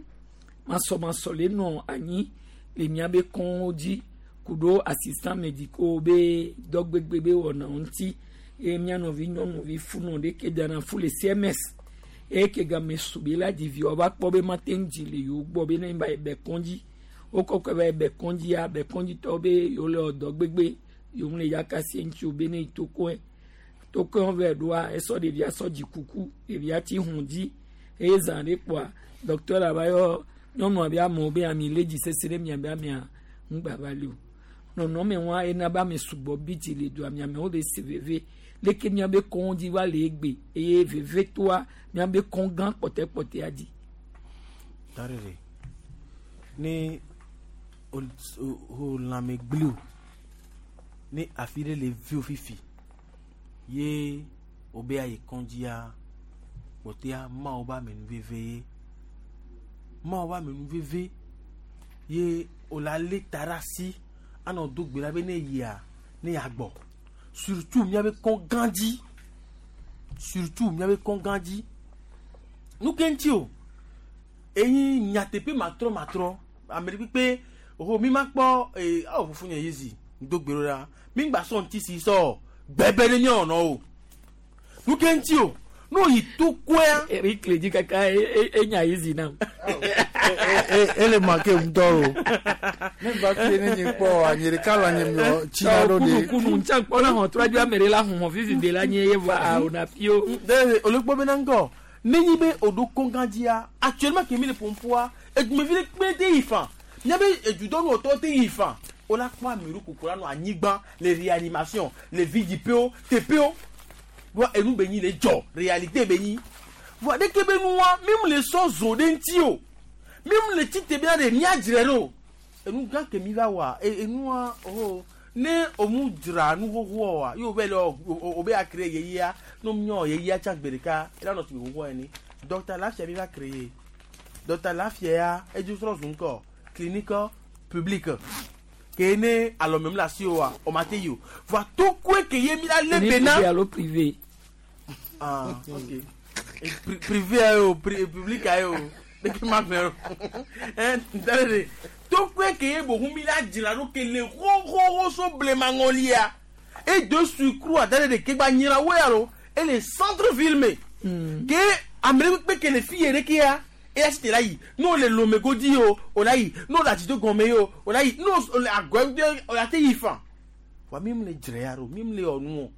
masɔmasɔ le nɔ anyi le miabe kɔnwo dzi ku ɖo assistant médicaux be dɔgbegbe be wɔnawo ŋuti eye mía nɔvi nyɔnuvi funɔ ɖe ke dana fu le C M S eye ke game su be la dzi viwo va kpɔ be mate ŋu dzi le yewo gbɔ be ne ba yi bɛ kɔndzi wokɔkɔ va yi bɛ kɔndzia bɛ kɔndzitɔwo be yewo le wɔ dɔ gbegbe yewo le yakasi ŋuti o be ne yi tokoe tokoe vɛ ɖoa esɔ ɖevia sɔ dzi kuku ɖevia tsi hɔn dzi eye zã ɖe kpoa docteur la va yɔ nyɔnua be amewo be ami le dzi sese ɖe mia be amea ŋgba va li o nɔnɔme wa ena be ame sugbɔ bi dzi le dua miamewo le se veve leke miabe kɔn dzi va le egbe eye veve toa miabe kɔn gã kpɔtɛkpɔtɛa dzi.
Darere ne o o lãme gblẽ o ne afi ɖe le vi o fifi ye o be ayi kɔndzia kpɔtɛa mawo be amenuveve ye mawo be amenuveve ye o la lé ta ɖe asi anɔ do gbe ɖa be ne yia ne yagbɔ surtout miabe kɔn gã dzi surtout miabe kɔn gã dzi nu ke ŋuti o eyi nyateƒe matrɔ matrɔ ame ɖe kpekpe oho mi ma kpɔ ee awo fufu nye yezi do gbe ɖo ɖa mi gba sɔ ŋuti si sɔ gbɛbɛ ɖe miawɔ nɔ o nu ke ŋuti o n'o yi to koya.
Eric le dzi kaka enya yezi nam.
Ele manque ŋutɔ o ne va fie ne nye kpɔ nye ɖeka le nye miɔ tsina ɖo de.
Kunu ntsa kpɔ na hɔn trɔ dzo ame ɖe la hɔn fifi be la nye ye va o na fio.
Ɖe olukpɔ bena ŋgɔ nenyi be o ɖo kɔngã dzia actuellement kemi le ƒoƒoa edumevi ɖe kpe te yi fa miabe edudɔnuwɔtɔwo te yi fa o la kpɔ ame ɖo koko la nɔ anyigba le réanimation le vidziƒewo teƒewo voa enu be nyi le dzɔ réalité be nyi voa ɖeke be nua mi mu le sɔ zo ɖe ŋuti o mi mu le tite bena ɖe miadzre ɖo enu gã ke mi va wɔa enua oh ne o mu dzra nu xoxoa oa ye o be le o be akre yeyea ne o miɔ yeyea tsa gbe ɖeka ela nɔ si xoxoa ene docteur Lafia mi va créer docteur Lafia ya edzo srɔ̃ zu ŋkɔ clinique publique ke ne alɔmem le asi oa o ma te yi o voa tokoe ke ye mi la lé bena.
Privé alo privé.
Ah, ok. Et pri privé ayo pri public ayo ɖeke ma gblẽ o ɛn ntɛlɛ de tokoe ke ye bohu mi la dzra ɖo ke le xoxoxo so blema ŋɔlia et de surcroît ntɛlɛ de ke gba nyira wo ya lo ele centre ville me ke ame ɖe kpekpe ke le fi ye ɖeke ya eya si te la yi n'o le Lomé godi o o la yi n'o le Adzito gɔme yi o o la yi n'o le agɔ o la te yi fan wa mi mu le dzre ya ɖo mi mu le wɔ nu o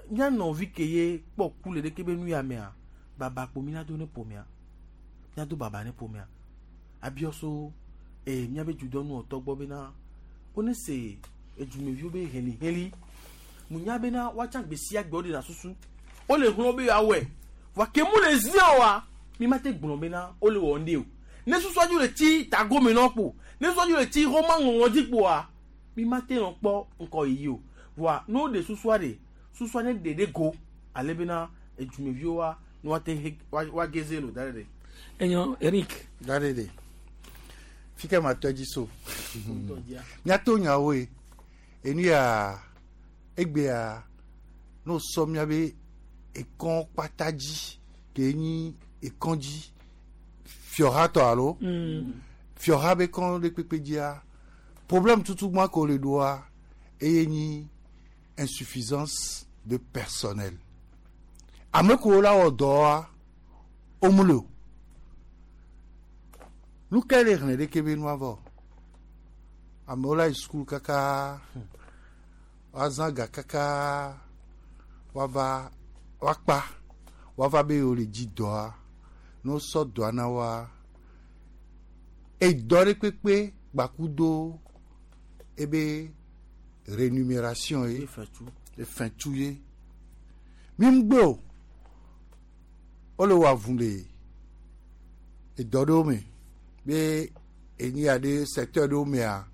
mía nɔvi ke ye kpɔ ku le ɖeke be nu ya mea baba kpo mi na do ne ƒomea mía do baba ne ƒomea abiɔ so ee míabe dudɔnuwɔtɔ gbɔ bena wone se edumeviwo be heliheli munya bena woatsa gbe sia gbe wo ɖena susu wole hlɔ̃ be yewoawɔe vɔa ke mu le zi oa mi ma te gblɔ bena wole wɔ ŋɖe o ne susua dzo le tsi tagome nɔ kpo ne susua dzo le tsi xɔma ŋɔŋɔ dzi kpoa mi ma te nɔ kpɔ ŋkɔ yiyi o vɔa ne woɖe susua ɖe susua ne ɖe ɖe go ale bena edumeviwo wa ne woate he wa geze lo da ɖe ɖe.
Enyo Eric.
Da ɖe ɖe fi ke ma tɔ dzi so miato nyawo ye enu ya egbea n'o sɔ miabe ekɔn kpata dzi ke nyi ekɔn dzi fiɔha tɔ alo fiɔha be kɔn ɖe kpekpe dzia problème tutu gbã ko le ɖoa eye nyi insuffisance de personnel ame kewo la wɔ dɔa wo mu le o nu ke le xlẽ ɖeke be nua vɔ amewo la yi sukulu kaka Woazã ga kaka woava woakpa woava be yewo le dzi dɔa ne wosɔ dɔa na woa edɔ ɖe kpekpe gbakudo ebe rémunération ye efɛntu ye mi ŋgbe o wole wɔ avu le edɔ ɖewo me be enyi ya ɖe secteur ɖewo mea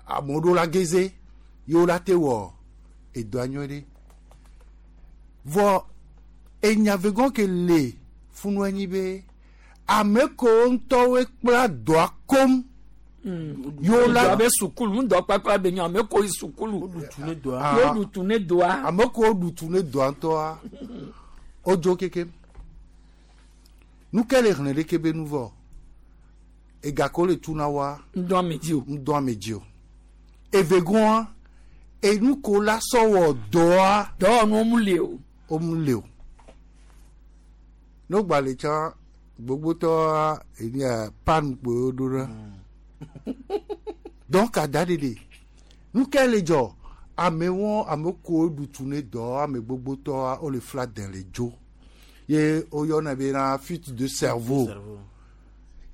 amewo ɖo la geze yewo la te wɔ edɔa nyuie ɖe vɔ enya vegɔn ke le funu anyi be ame kewo ŋutɔwoe kpla dɔa kom yewo la
be sukulu ŋdɔ kpakpla be nyɔ ame ko yi sukulu
Ah.
yo ɖutu ne doa
ame kewo ɖutu ne dɔa ŋutɔa wodzo kekem nu ke le xlẽ ɖeke be nu vɔ ega ke wole tu na woa
ŋdɔ ame dzi o
ŋdɔ ame dzi o evegɔa enu ko la sɔ wɔ dɔa
dɔwɔnuwo mu le o
wo mu le o ne wogba le tsã gbogbotɔa enia pan kpoe woɖo ɖa donc ada ɖeɖe nu ke le dzɔ amewo ame kewo ɖutu ne dɔ ame gbogbotɔa wole fla dẽ le dzo ye woyɔna bena fuite de cerveau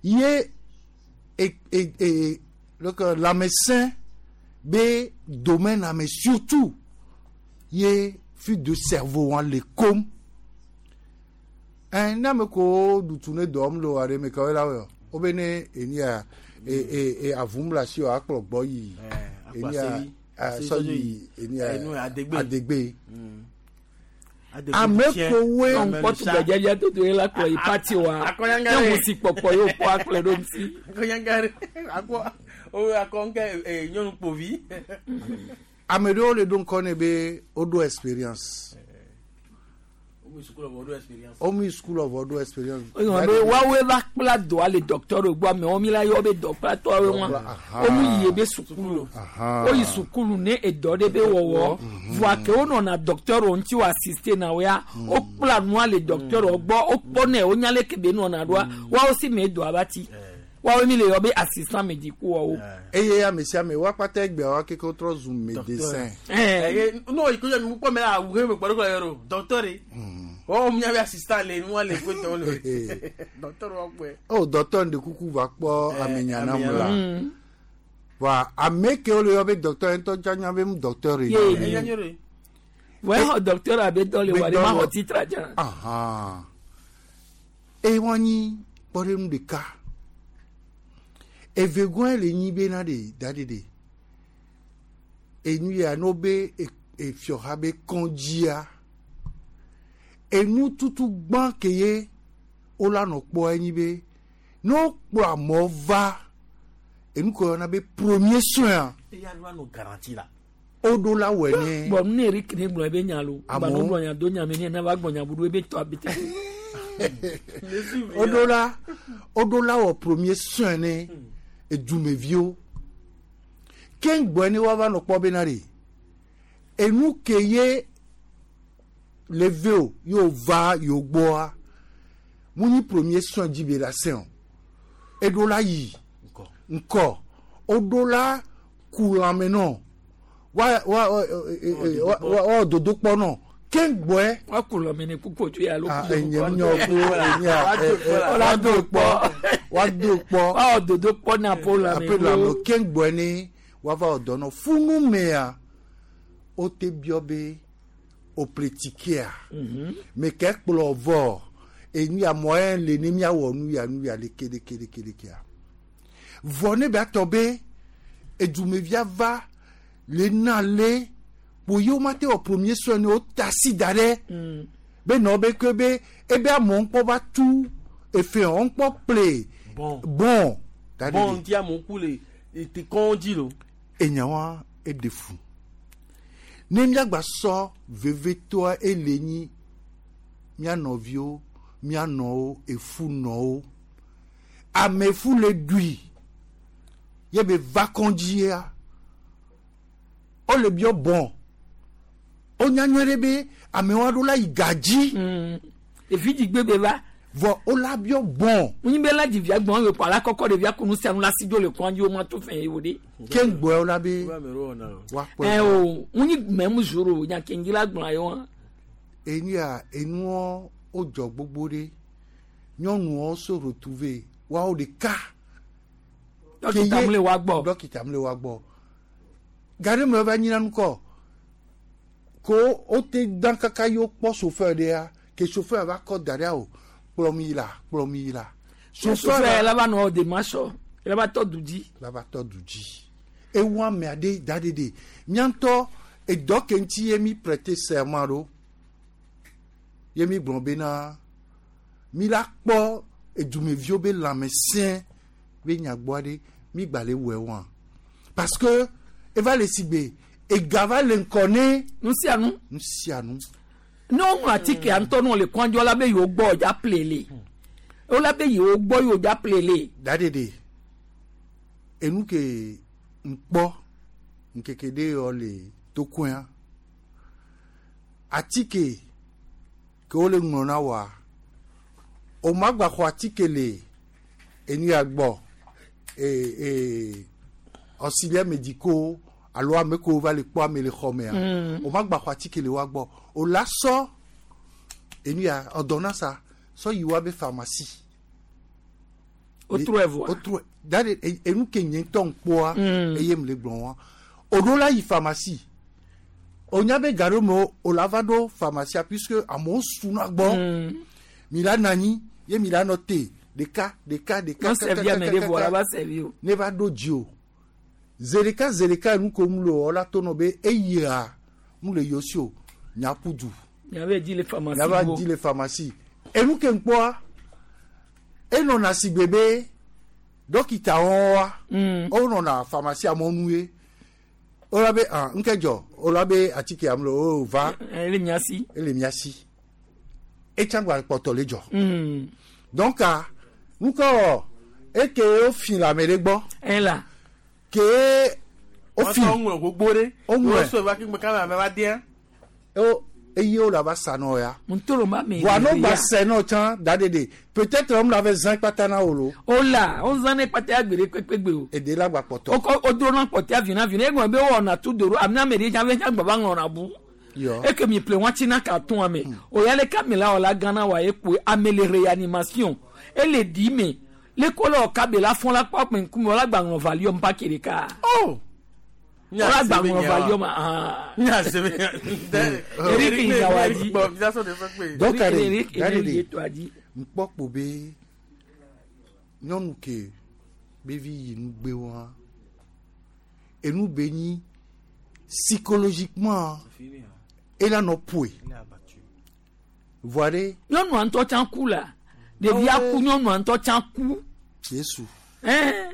ye e e e donc lãmesẽ be domaine ame surtout ye fuite de cerveau wa le kom ɛn ne ame kewo ɖutu ne dɔ le wa ɖe me kawoe la wɔ wo be ne enia e e e avum le asi o akplɔ gbɔ yi enia sɔ yi enia adegbe ame kowoe
ŋkpɔtu gbɛdzɛdzɛ toto ye la kplɔ yi pati wa ne ŋusi kpɔkpɔ ye wokpɔ akplɔe ɖo ŋuti
akɔnyangare akɔ o akɔ ŋkɛ ee nyɔnu kpovi.
ame ɖewo le ɖo ŋkɔ ne be woɖo expérience womu yi sukulu vɔ ɖo expérience
oyɔn be woawoe va kpla dɔa le docteur gbɔ amewo mi la yɔ be dɔkplatɔwoe wa womu yi be sukulu woyi sukulu ne edɔ ɖe be wɔwɔ voa ke wonɔna docteur ŋuti wo assiste na woya wokpla nua le docteur gbɔ wokpɔnɛ wonya leke be nɔna ɖoa woawo si me dɔa va ti woawoe mi le yɔ be assistant médicaux wɔwo.
eye ame sia ame woakpata egbea wa keke wotrɔ zu médecin.
n'o yi ko mi kpɔ mɛ la awu he mi kpɔ ɖe kɔ yɔrɔ docteur ye wɔn mi be assistant le nua le ko tɔw le docteur wa kpɔe.
o docteur ŋɖe kuku va kpɔ ame nyanam la wa ame ke wo le yɔ be docteur ŋutɔ dza nya be mu docteur ye.
Ye. Wọ́n xɔ docteur abe dɔ le wa de ma xɔ titre dza.
Eye wɔn nyi kpɔɖeŋu ɖeka evegɔe le nyi bena ɖe da ɖe ɖe enu ya no be efiɔha be kɔndzia enu tutu gbã ke ye wola nɔ kpɔ enyi be ne wokplɔ amewo va enu ke woyɔna be premier soin
eya nu anu garantie la.
woɖo la wɔe ne.
Bɔn nu ne Eric ne gblɔ ebe nya lo
Amewo.
gbanu gblɔ nya do nya me ne ne va gblɔ nya budu ebe tɔ abete.
woɖo la woɖo la wɔ premier soin ne edumeviwo keŋgbɔe ne woava nɔ kpɔ bena ɖe enu ke ye le ve o ye wova yewo gbɔa mu nyi premier soin dzi be la sɛn o eɖo la yi ŋkɔ woɖo la ku lãme nɔ wa wa wa wa wa dodokpɔ nɔ keŋgbɔe.
Wa ku lãme ne kuku tso ya lo.
Ah, enye nyɔ ku enye wa do kpɔ wa do kpɔ.
Wa dodokpɔ na po lãme.
ape lãme keŋgbɔe ne woava wɔ dɔ nɔ funu mea wote biɔ be oplitikea me ke kplɔ vɔ enu ya mɔɛ le ne miawɔ nu ya nu ya leke leke leke lekea vɔ ne be atɔ be edumevia va le na le kpo ye wo ma te wɔ premier soin ne wota si da ɖe be nɔ be ke be ebe amewo ŋkpɔ va tu efe wɔn ŋkpɔ ple
Bon.
bon da ɖe
Bon
ɖe.
ŋuti amewo ku le ete kɔndzi lo.
enya wa eɖe fu ne miagba sɔ vevetoa ele nyi mia nɔviwo mia nɔwo efu nɔwo amefu le ɖui ye be va kɔndzia wole biɔ bɔn wonya nyuie ɖe be amewo aɖo la yi gadzi.
efi dzigbe be va.
Vɔ wola biɔ bɔn.
Munyi be la dzivia gbɔn ye kɔ ala kɔkɔ ɖevia kunu sia nu la si dzo le kɔn dzi wo ma to fɛn ye wo de.
Ke ŋgbɔe wola be woakpɔe.
Ɛ o munyi mɛmu zoro nya kengi la gblɔ ye wa.
Enuya enuɔ wodzɔ gbogbo ɖe nyɔnuwo se retrouver woawo ɖeka.
Dɔkita mu le wa gbɔ.
Dɔkita mu le wa gbɔ. Gari me va nyina nukɔ ko wote dan kaka ye wokpɔ chauffeur ɖea ke chauffeur va kɔ da ɖea o kplɔ mi yi la kplɔ mi yi la.
Chauffeur la va nɔ démarche la va tɔ du dzi.
La va tɔ du dzi. Ewu ame aɖe da ɖe ɖe miantɔ edɔ ke ŋuti ye mi prêter serment ɖo ye mi gblɔ bena mi la kpɔ edumeviwo be lãmesẽ be nyagbɔ aɖe mi gba le wɔe wa parce que eva le sigbe ega va le ŋkɔ ne.
Nusianu.
Nusianu.
Ne woŋlɔ atike ŋutɔ ne wole kɔndzɔ la be yewo gbɔ dza plele wola be yewo gbɔ yewo dza plele.
Daɖeɖe enu ke ŋkpɔ ŋkeke ɖe yɔ le tokoea atike ke wole ŋlɔ na wa o ma gba xɔ atike le enu ya gbɔ ee ee auxiliaire médicaux alo ame kewo va le kpɔ ame le xɔ mea o ma gba xɔ atike le wa gbɔ o la sɔ enu ya ordonnance sɔ yi wa be pharmacie.
O trɔ evɔa.
O trɔ dade enu ke nye ŋutɔ ŋkpɔa eye mu le gblɔ wa o ɖo la yi pharmacie o nya be ga ɖe me o la va ɖo pharmacie puisque amewo suna gbɔ mi la nɔ anyi ye mi la nɔ te ɖeka ɖeka ɖeka
Non servi ame ɖe vɔ la va servi o.
Ne va ɖo dzi o zeɖeka zeɖeka nu ko mu le o la to nɔ be eyia mu le yosi o nyaƒu du.
Nyabe dzi le pharmacie.
Nyaba dzi le pharmacie enu ke ŋkpɔa enɔna sigbe be dɔkita wɔn wa wonɔna pharmacie mɔnu ye wola be ah ŋke dzɔ wola be atike am le o va.
Ele mia si.
Ele mia si etsã gba kpɔtɔ le dzɔ. Donc nukɔ eke wofi le ame ɖe gbɔ.
Ela.
Ke wofi.
Woŋlɔ gbogbo ɖe.
Woŋlɔe.
Wosɔ va kpe kame ame va dia.
O eye wo la va sa nɔ ya.
Ntoro ma me.
Wa no gba sɛ nɔ tsã da ɖe ɖe peut-être wɔm la va zã kpata na wo lo.
O la o zã ne kpata agbe ɖe kpekpe gbe o.
Eɖe la gba kpɔtɔ.
O kɔ o dro na kpɔtɛ vina vina egɔme be wɔna tu do ame ame ɖe tsã ve tsã gba va ŋlɔna bu.
Yɔ.
Eke mi ple wɔtsi na ka tún ame. O ya le kame la wɔ la gana wa ekpo ame le réanimation ele di me le ko la ɔka be la fɔn la kpɔ akpɛ ŋkume wala gba ŋlɔ valium pa ke ɖeka.
Oh.
Wala gba ŋlɔ valium ah. Eric Inyawadzi.
Donc ale
Eric
da ɖe
Eric
ɖe
Yetoadzi.
ŋkpɔ kpo be nyɔnu ke be vi yi nugbe wa enu be nyi psychologiquement ela nɔ poe voa ɖe.
Nyɔnua ŋutɔ tsã ku la ɖevia ku nyɔnua ŋutɔ tsã ku.
Yesu.
Ɛn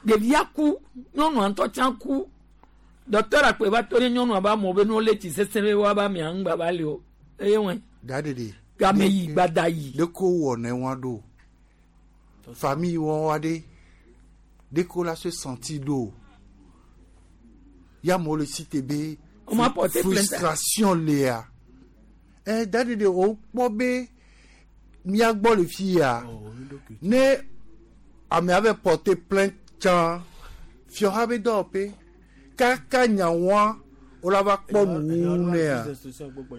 ɖevia ku nyɔnua ŋutɔ tsã ku dɔkitɔr akpe va to ɖe nyɔnua ba mɔ be ne wole tsi sesẽ be woaba mia ŋgba va li o eye wɔe.
Da ɖe ɖe.
Game yi gbada yi.
Ɖeko wɔ ne wa ɖo famille wɔ wa ɖe ɖeko la se senti ɖo ya mo le si te be.
On m'a porté plainte.
Frustration lea ɛ da ɖe ɖe o kpɔ be mía gbɔ le fi ya ne amea bɛ porter plainte tsã fiɔha be dɔwɔƒe kaka nyawoa wola va kpɔ nuwuwu nea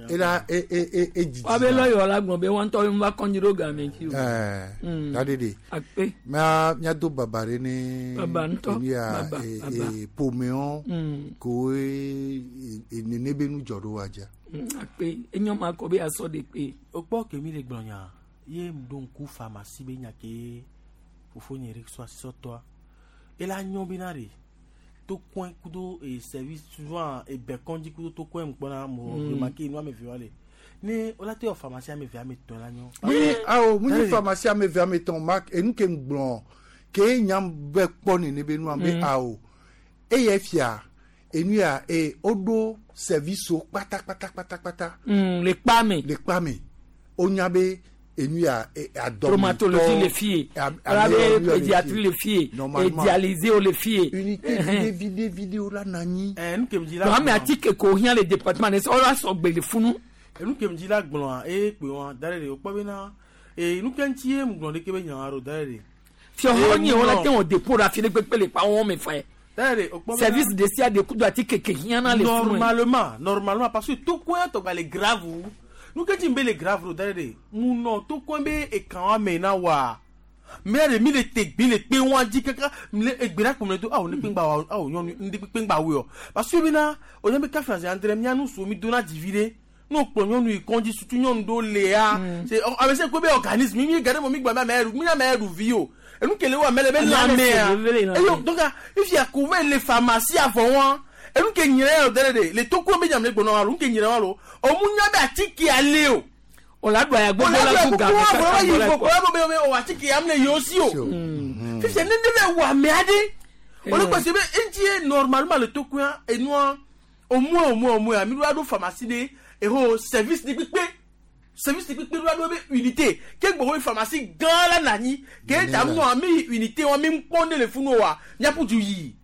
ela e e e e didi.
Wa be lɔyɔ la gblɔ be wa ŋutɔ be va kɔndzi ɖo game dzi o.
Ɛɛ da ɖe ɖe
Akpe.
mía míado baba ɖe ne
Baba ŋutɔ.
enu ya
Baba,
e
baba.
e ƒomewo
Mm.
koe e e nene be nu dzɔ ɖo wa dza.
Mm, Akpe enyo ma kɔ be asɔ de kpe.
O kpɔ ke mi le gblɔ nya ye m ɖo ŋku pharmacie be nya ke fofonye ɖe sɔ asi sɔtɔa ela nyɔ bena ɖe tokɔe kudo e service souvent ebe kɔndzi kudo tokɔe mu kpɔna mo
Mm.
remarque nu ame eve wa le ne wola te wɔ pharmacie ame eve ame etɔ̃ la nyɔ.
Munyi awo munyi pharmacie ame eve ame etɔ̃ ma enu ke ŋgblɔ ke nyam bɛ kpɔ nene be nua be
Mm.
awo eye fia enu ya e woɖo service wo kpata kpata kpata kpata.
Mm, le kpa me.
Le kpa me wonya be enu ya e adɔmitɔ
Traumatologie le fie. Wala be pédiatrie le fie.
Normalement.
E dialyse wo le fie.
Unité vide vide vide wo la na anyi.
Ɛ nu ke mi dzi la
Donc ame
gblɔa
atike ko hiã le département ne sɔ wola sɔgbe le funu.
enu ke mi dzi la gblɔa eye kpe wa da ɖe ɖe wokpɔ bena E nu ke ŋuti ye ŋgblɔ ɖeke be nyawa ɖo da ɖe.
Fiɔhɔ nye wo la te wɔ dépôt ɖe afi ɖe kpekpe le kpa wɔn me fɛ.
Da ɖe o kpɔ bena-
Service de sia de kudo ati keke hiã na le funu.
Normalement, normalement, parce que tokoin tɔgba le grave wu. Nu ke dzi be le grave ɖo da ɖe ɖe. Mu nɔ tokoin be ekan wa me na wa. Mɛ ɖe mi le te gbi le kpe wa dzi kaka mi le egbe ɖe kpɔmle do awo ne kpengba wa awo nyɔnu ŋdi kpengba wo yɔ. Parce que bena o nye be kafi azi andre mia nu so mi do na dzivi ɖe. N'o kplɔ nyɔnu yi kɔndzi sutu nyɔnu ɖo lea. C'est ame se ko be organisme mi mi gade mo mi gba mi ame ɖu mi ame ɖu vi o. Enu kele wo ame le be lãmea. Eyo donc ifi ko ve le pharmacie avɔ wa. Enu ke nyere yɔ dɛ de le toko be nyamle gbɔnɔ alo nu ke nyere wa lo. O mu nya be atike ale o.
O la do aya gbogbo la ku game
kaka
kaka
gbogbo
gbɔ la
la ko be be o atike am le yosi o. Fifi ne ne be wa me ade. O le gbèsè be ŋuti ye normalement le toko ya enua au moins au moins au moins mi do ado pharmacie de eho service de kpekpe service de kpekpe do ado be unité ke gbogbo pharmacie gã la nani ke ta mu ami unité wa mi kpɔn ne le funu wa miaƒu du yi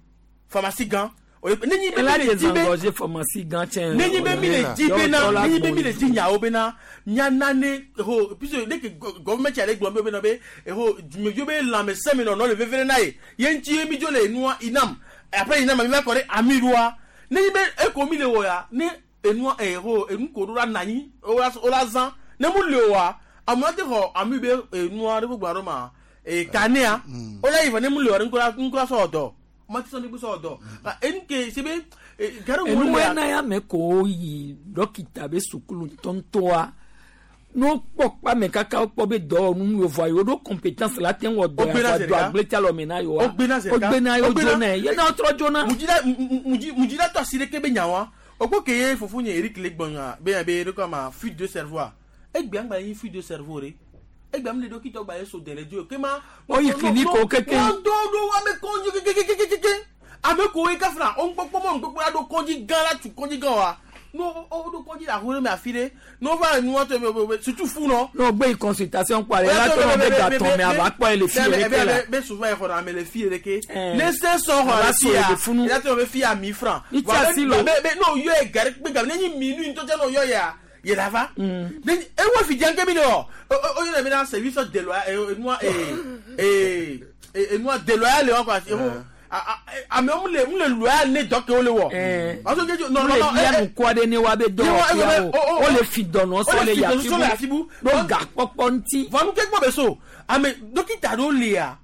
pharmacie gã. O le ne nyi be
Ela
mi le di be
désengorger pharmacie gã tsɛ.
ne nyi be mi le di bena ne nyi be mi le di nyawo bena miana ne ho puisque ne ke gɔvɛmɛnti ale gblɔ be bena be eho dumeviwo be lãmesẽ mi nɔnɔ le veve ɖe na ye ye ŋuti ye mi dzo le enua inam après inam mi va kɔ ɖe amiɖoa ne nyi be eko mi le wɔ ya ne enua eho enu ko ɖo la na anyi wo la wo la zã ne mu le oa amewo te xɔ ami be enua ɖe gbogbo aɖe ma ee kanea wo la yi vɔ ne mu le oa ŋkɔ la ŋkɔ la sɔ dɔ ma ti sɔn ne sɔ dɔ enu ke se be gari wo
Enu
le ya
na ya me ko yi dɔkita be sukulu ŋutɔŋutɔa n'o kpɔ kpame kaka wokpɔ be dɔwɔnu yevoa yewo ɖo compétence la te ŋu wɔ dɔ
Wogbena
ya
zi
do
ɖeka.
agbletsi alɔme na yewoa
Wogbena zi ɖeka.
wogbena yewo
Wogbena-
dzona ye na wotrɔ dzona.
Mujida muji mujida to asi ɖeke be nyawa okpo ke ye fofo nye Eric le gbɔnya be ya be ɖe ma fuite de cerveau a egbe angba ye fuite de cerveau re egbe am le dɔkita gba ye so dele dzo ke ma
Woyi clinique wo keke.
wọ́n do do ame kɔndzi kekekekeke ame ko ye kafra o ŋkpɔkpɔ mɔ ŋkpɔkpɔ la do kɔndzi gã la tu kɔndzi gã wa no o do kɔndzi le ahoe me afi ɖe n'o va nua tɔ me be surtout fu nɔ.
N'o gbe yi consultation kpɔ ale la tɔ be gatɔn me ava kpɔ ye le fi yɛ ɖeke la.
be souvent exɔ na ame le fi yɛ ɖeke
Eh.
ne se sɔ xɔ
Ava
le
so
fi ya
le funu.
ya tɔ be fi ya mi franc.
Ni
Wa
tsi
be-
asi lo.
be be n'o yɔ ye gari kpe gami ne nyi mi nu ŋutɔ tse n'o yɔ ya yɛ la va. Ne nyi ewo fi diyan kemi de wɔ o o yɛrɛ bɛ na service déloyal enua ee ee enua déloyal le wa quoi ewo amewo mu le mu le loyal ne dɔ ke wo le wɔ. Parce que non
Mu le
non
bia nukua ɖe ne wa be dɔwɔƒeawo wo le fi dɔnɔ sɔ le
sɔ le
yafibu
yafibu.
ɖo gakpɔkpɔ ŋuti.
Vɔ nu ke gbɔ be so ame dɔkita ɖewo lia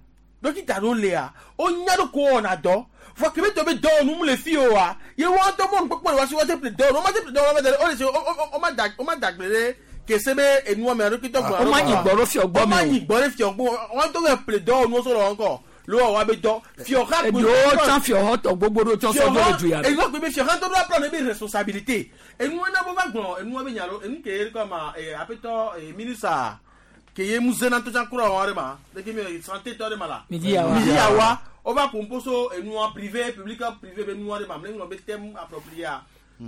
dɔkita ɖewo lia wo nya ɖo ko wɔna dɔ vɔ kebe tɔ be dɔwɔnu mu le fi o wa ye wɔn tɔ mɔnu kpɔkpɔ le wa si wɔn te ple dɔwɔnu wɔn ma te ple dɔwɔnu wɔn ma te o le se o o o ma da o ma dagble ɖe kese be enua me dɔkita gbɔ
Wo ma nyi gbɔ ɖo fiɔ gbɔ
o ma
me o.
nyi gbɔ ɖe fiɔ gbɔ wɔn tɔ bɛ ple dɔwɔnu sɔ le wɔn kɔ lo wɔ wa be dɔ fiɔ xa
Eɖewo tsã fiɔhɔ tɔ gbogbo ɖo tsɔ sɔ do le du ya me.
enua kpe be fiɔ hã tɔ ɖo aprɔ ne be responsabilité enua na bo va gblɔ enua be nya lo enu ke ye kɔ ma ee aƒetɔ ee minisa ke ye mu zena to tsã kura wɔn ɖe ma leke mi santé tɔ ɖe ma la
Midi yawa.
midi yawa wova ƒo so enua privé public privé be nua ɖe ma mle ŋlɔ be thème approprié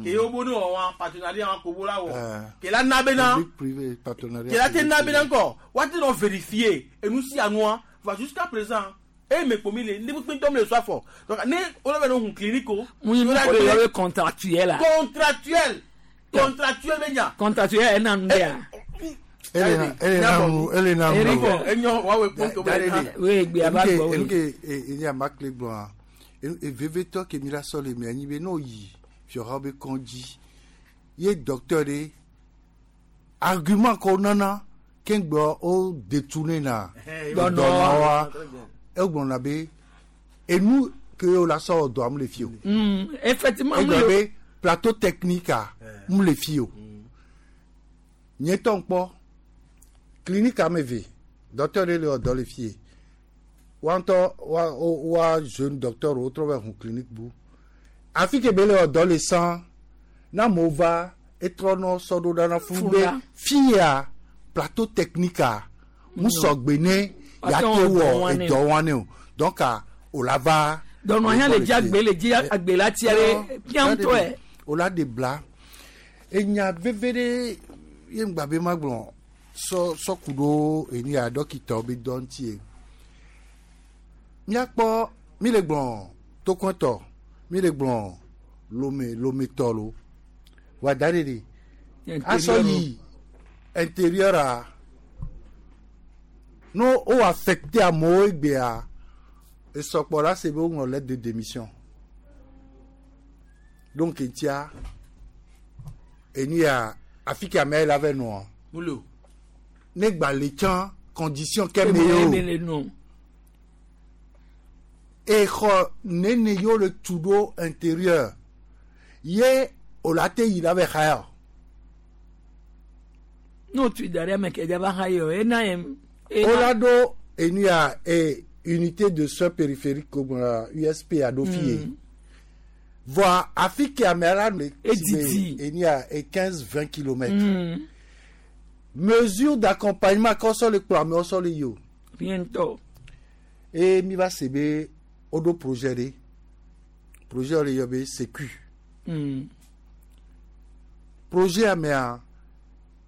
ke ye wo bo ne wɔ wa partenariat wa ko bo la wɔ ke la na bena
Public privé partenariat.
ke la te na bena ŋkɔ wa te nɔ vérifier enu sia nua va jusqu'à présent eye me kpomi le ne kpekpe ŋutɔ mi le so afɔ donc ne wole be ne hun clinique o.
Mu yi nu ko le yɔ be contractuel la.
contractuel contractuel be nya.
Contractuel ena nu ɖea.
Elena Elena nu Elena nu.
Eric,
enyo wa we kpɔn to be na.
We egbe ava gbɔ we.
Enu ke enye amakle gblɔa evevetɔ ke mi la sɔ le mia nyi be n'o yi fiɔha be kɔndzi ye docteur ɖe argument ko nana keŋgbɔ o détourné na
Dɔnɔ.
dɔnɔwa egblɔna be enu ke o la sɔ dɔa mu le fi o.
Mm, effectivement mu
egblɔ
le
be plateau technique a mu le fi o nye tɔ ŋkpɔ clinique ame eve docteur ɖe le wɔ dɔ le fi ye wa ŋutɔ wa wo- wa jeune docteur wo trɔ va hun clinique bu afi ke be le wɔ dɔ le sã na amewo va etrɔ nɔ sɔ ɖo ɖa na funu be
Funa.
fi ya plateau technique a mu sɔgbe ne
Ate
ya te
wɔ
wɔ
dɔ wa ne.
edɔ wa ne o donc a o la va.
Dɔnɔ hã le dzi agbe le dzi agbe la tia ɖe fia ŋutɔe.
O la de bla enya veve ɖe ye ŋgba be ma gblɔ sɔ sɔ ku ɖo enu ya dɔkitawo be dɔ ŋuti ye míakpɔ mi le gblɔ tokɔtɔ mi le gblɔ lome lometɔ lo wa da ɖe ɖe asɔ yi intérieur a No o affecté amewo egbea esɔkpɔ la se be woŋlɔ lettre de démission. Donc etia enu ya afi ke amea la vɛ nɔa.
Mulo.
Ne gba le tsã condition ke me ye o. Exɔ nene yewo le tu ɖo intérieur ye o la te yi la vɛ xaya o.
N'o tu da ɖe ame ke dza va xa ye o ena ye.
O la ɖo enu ya e unité de soins périphériques ko la U S P a ɖo fi ye. Voa afi ke amea la le
Edidi.
enu ya e quinze vingt kilomètres. Mm. Mesure d'accompagnement kɔ sɔ le kplɔ amewo sɔ le yi o.
Bientôt.
E mi va se be o ɖo projet ɖe. Projet le yɔ be sécu.
Mm.
Projet amea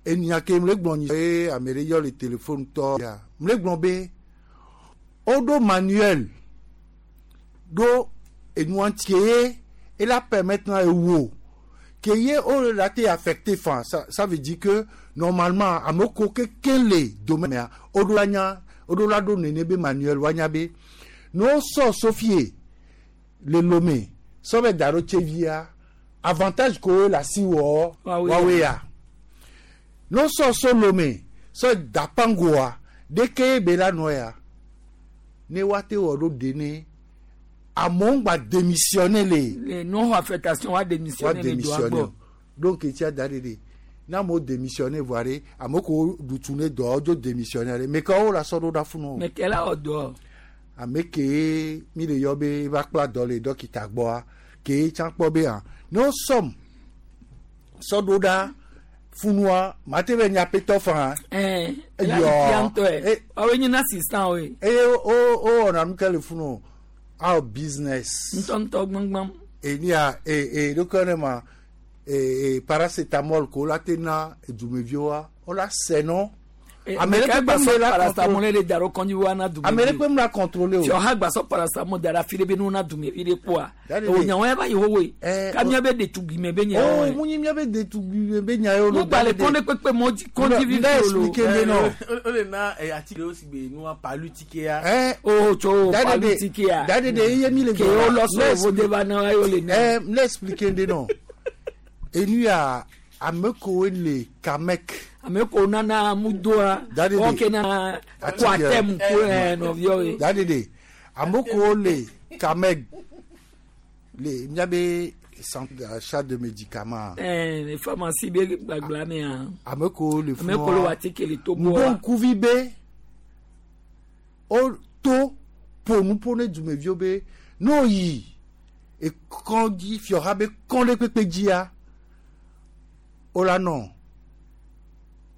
enya ke mle gblɔ nyi eye ame ɖe yɔ le téléphone tɔ ya mle gblɔ be o ɖo manuel ɖo enua ŋuti ye ela permettre na ewo ke ye o la te affecté fan ça ça veut dire que normalement ame ko keke le domaine ya o ɖo la nya o ɖo la ɖo nene be manuel wa nya be no sɔ Sofie le Lomé sɔ bɛ da ɖo Tsevia avantage ko la si wɔ wawe ya no sɔ so Lomé sɔ dapangoa deke be la nɔ ya ne wa te wɔ ɖo dene amewo gba démissionner le.
Le non affectation wa démissionner le doa gbɔ.
Donc etia da de de n'a mo démissionner voa de ame ko dutu ne dɔ dzo démissionner mais kawo la sɔ ɖo ɖa funu.
Mais kɛla wɔ dɔ.
Ame ke mi le yɔ be va kpla dɔ le dɔkita gbɔa ke tsã kpɔ be hã ne wo sɔm sɔ ɖo ɖa funua mate be nyapetɔ fan.
Ɛɛ yɔ awo nye na assistant o ye.
Eye o o wɔna nu ke le funu our business.
Ntɔntɔ gbɔngbɔn.
Enia e e ɖokɔ ne ma e e paracétamol ko la te na edumeviwoa o la sɛ nɔ.
Ame ɖe kpe la paracétamol le da ɖo kɔnji wa na dumevi.
Ame ɖe kpe la contrôler o.
Tí ɔha gbasɔ paracétamol da ɖe afi ɖe be nu na dumevi ɖe kpoa. O nyawo ya va yi xoxoe. Ka mía be ɖetugbime be nya
wo. O mu nyi mía be ɖetugbime be nya ye o.
Mo gba le kɔn ɖe kpekpe mɔ kɔnji vivi
o lo. Expliquer be nɔ.
O le na atike o si gbe nua palu tike ya.
O tso palu tike ya.
Dade de iye mi le.
Ke o lɔ sɔ o de ba na ye o le na.
Ɛ n expliquer de nɔ. Enu ya ame kowo le Kamek.
Ame ko nana mudoa o ke na kwatem ko nɔviwo ye.
Dade de ame kowo le Kamek le miabe centre d'achat de médicaments.
Ɛɛ pharmacie be gbagba mea.
Ame kowo le
funua ame kowo le atike le Togo.
Ŋkuvi be o to ƒonuƒo ne dumeviwo be n'o yi ekɔdzi fiɔha be kɔn ɖe kpekpe dzia o la nɔ.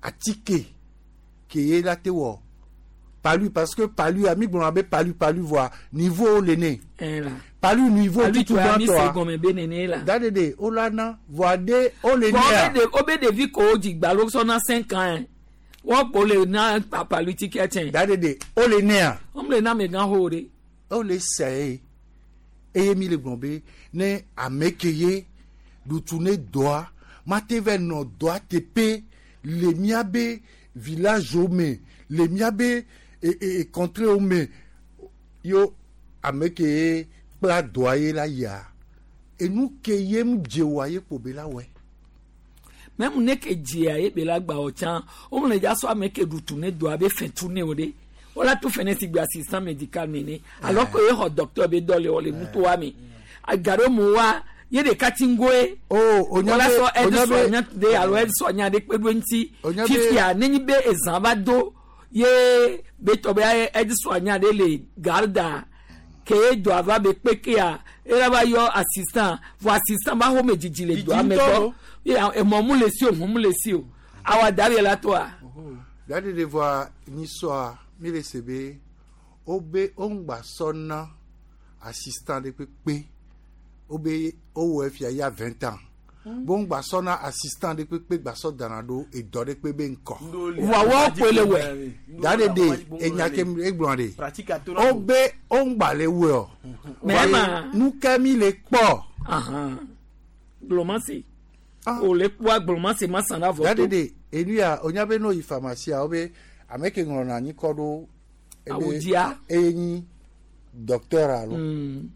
Atike ke ye la te wɔ palu parce que palu ami gblɔna be palu palu voa niveau le ne palu niveau tutu gbãtɔa dade de o la na voa de o le nea.
O be ɖevi ko o dzi gbalo sɔna cinq ans wɔn ko le na palu tike tsɛ.
Dade de o le nea.
O le na amegã xo de.
O le sɛ ye eye mi le gblɔ be ne ame ke ye ɖutu ne dɔa mate vɛ nɔ dɔa teƒe. Le miabe village o me le miabe e e contrée o me yo ame ke kpla dɔa ye la yia enu ke ye mu dze wa ye kpo be la wɛ.
Mɛmu ne ke dzea ye be la gba o tsã o le dza sɔ ame ke ɖutu ne dɔa be fɛn tu ne o de o la tu fɛn ne si gbe assistant médical nene alors que ye xɔ docteur be dɔ le o le nutoa me agaɖo mu wa. Ye ɖeka ti ŋgoe.
O onya be
onya be onya de alo ɛdi ɖe kpe ɖo ŋuti. Fifia nenyi be ezã va do ye be tɔ be ɛdi sɔnya ɖe le garda ke ye dɔa va be kpekea ela va yɔ assistant vɔ assistant ba xɔme dzidzi le dɔa me gbɔ emɔ mu le si o ʋu mu le si o awa da be la toa.
Dadi de voa nyisɔa mi le se be o be o ŋgba sɔ na assistant ɖe kpekpe. Obe owo efia ya vingt ans. Bon gba na assistant de kpekpe gba sɔ dana ɖo edɔ ɖe kpe be ŋkɔ.
Wa wɔ kpe le wɛ.
Dade de enya ke egblɔ de. Obe o ŋgba le wɛ o.
Mɛ ma.
Nu ke mi le kpɔ.
Gblɔmasi. O le kpɔa gblɔmasi ma san la vɔ to.
Dade de enu ya onya be no yi pharmacie obe ame ke ŋlɔna anyi kɔ ɖo
Awudzia.
Eye nyi docteur alo.
Mm.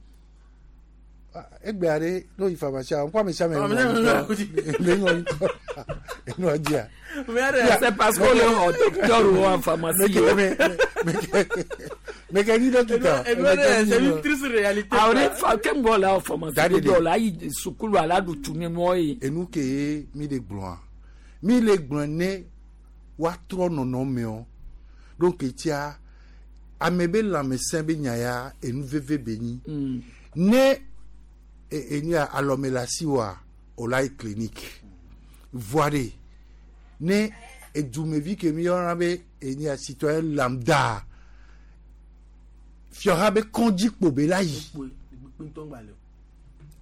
Egbe aɖe n'o yi pharmacie ŋkɔ ame sia ame
Ah,
le ŋɔ ŋkɔ enua dzia.
C'est parce qu'on le xɔ docteur wo en pharmacie.
Meke nyi dɔkita.
C'est une triste réalité.
Awo ne fa ke ŋgɔ la pharmacie
Daddy
dɔ la ayi sukulu ala ɖu tu ne mɔ ye.
Enu ke ye mi le gblɔa mi le gblɔ ne woatrɔ nɔnɔmewo donc etia ame be lãmesẽ be nya ya enu veve be nyi ne e- enu ya alɔme le asi woa o la yi clinique voa ɖe ne edumevi ke mi yɔna be enu ya citoyen lambda fiɔha be kɔndzi kpo be la yi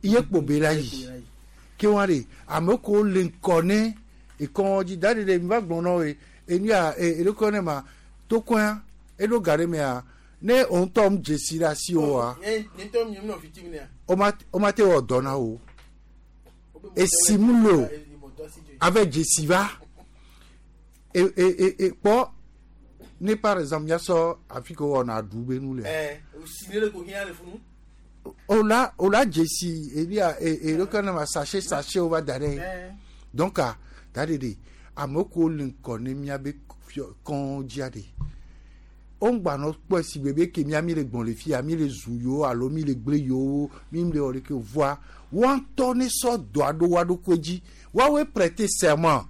iye kpo be la yi ke wa de ame ko le ŋkɔ ne ekɔn dzi da de de mi va gblɔ na wo ye enu ya e eɖokɔ ne ma tokɔa eɖo ga ɖe mea ne o ŋutɔ mu dzesi ɖe asi woa o ma o ma te wɔ dɔ na wo esi mu le o ave dzesi va e e e e kpɔ ne par exemple miasɔ afi ke wɔna aɖu be nu lea o la o la dzesi enu ya e eɖokɔ ne ma sachet sachet wo va da ɖe donc a da de de ame ko le ŋkɔ ne miabe fiɔ kɔn dzia de o ŋgba nɔ kpɔe si gbe be ke mia mi le gbɔn le fia mi le zu yewo alo mi le gble yewo mi le wɔ ɖeke voa woa ŋutɔ ne sɔ dɔa ɖo woa ɖokui dzi woawoe prêter serment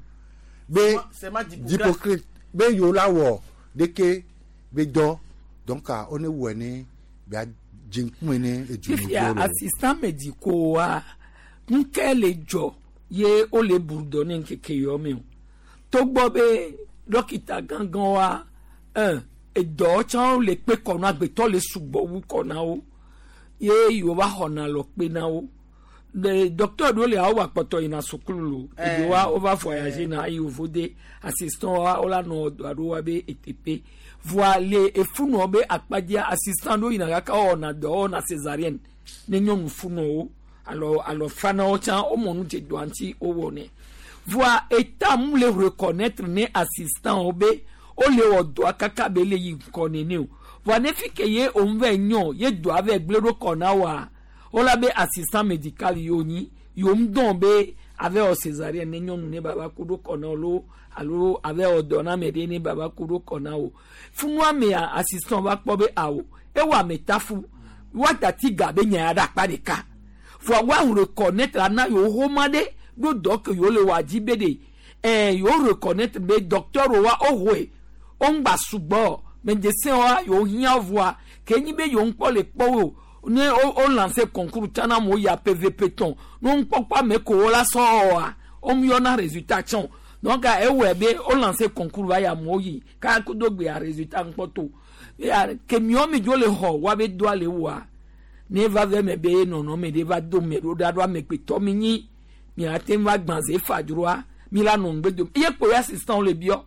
be
Serment d'Hippocrate.
d'Hippocrate be yewo la wɔ ɖeke be dɔ donc a wo ne wɔe ne bea dze ŋkume ne
Fifia
edumeviwo le.
assistant médicaux wa ŋkɛ le dzɔ ye wole bu dɔ ne ŋkeke yɔ me o togbɔ be dɔkita gãgã wa ɛn edɔ tsã le kpe kɔ na agbetɔ le sugbɔ wu kɔ na wo ye yewo va xɔna lɔ kpe na wo le docteur ɖewo le awo akpɔtɔ yina sukulu lo eɖewo wa wova voyager na ayi wovo de assistant wa wola nɔ dɔ aɖewo wa be eteƒe voa le efunɔ be akpadzia assistant ɖewo yina kaka wɔna dɔ wɔna césarienne ne nyɔnu funɔwo alo alo fanawo tsã womɔ nu dze dɔa ŋuti wowɔnɛ voa eta mu le reconnaître ne assistant wo be wole wɔ dɔa kaka be le yi ŋkɔ nene o voa ne fi ke ye òun vɛ nyɔ ye dɔa vɛ gblẽ ɖo kɔ na woa wola be assistant médical yewo nyi yewo ŋu dɔn be ave wɔ césarienne ne nyɔnu ne baba ku ɖo kɔ na wo lo alo ave wɔ dɔ na ame ɖe ne baba ku ɖo kɔ na wo funua mea assistant va kpɔ be awo ewɔ ame tafu woatati ga be nya ya ɖe akpa ɖeka voa woa reconnaître ana yewo xɔma ɖe ɖo dɔ ke yewo le wɔ dzi be ɖe ɛɛ yewo reconnaître be docteur wa woxɔe wo ŋgba sugbɔ médecin wa yewo hiã voa ke nyi be yewo ŋkpɔ le kpɔ wo ne wo wo lancer concours tsana mo ya PVP tɔn ne wo ŋkpɔkpɔ ame ko wo la sɔ wɔa wo mu yɔna résultat tsɔn donc ewɔe be wo lancer concours va ya amewo yi kaka do gbea résultat ŋkpɔ to ya ke miɔ mi dzo le xɔ wa be doa le wɔa ne va vɛ me be nɔnɔme ɖe va do me ɖo ɖa ɖo amegbetɔ mi nyi miate ŋu va gbã ze fa dzroa mi la nɔ ŋgbe dom eye kpo ye assistant le biɔ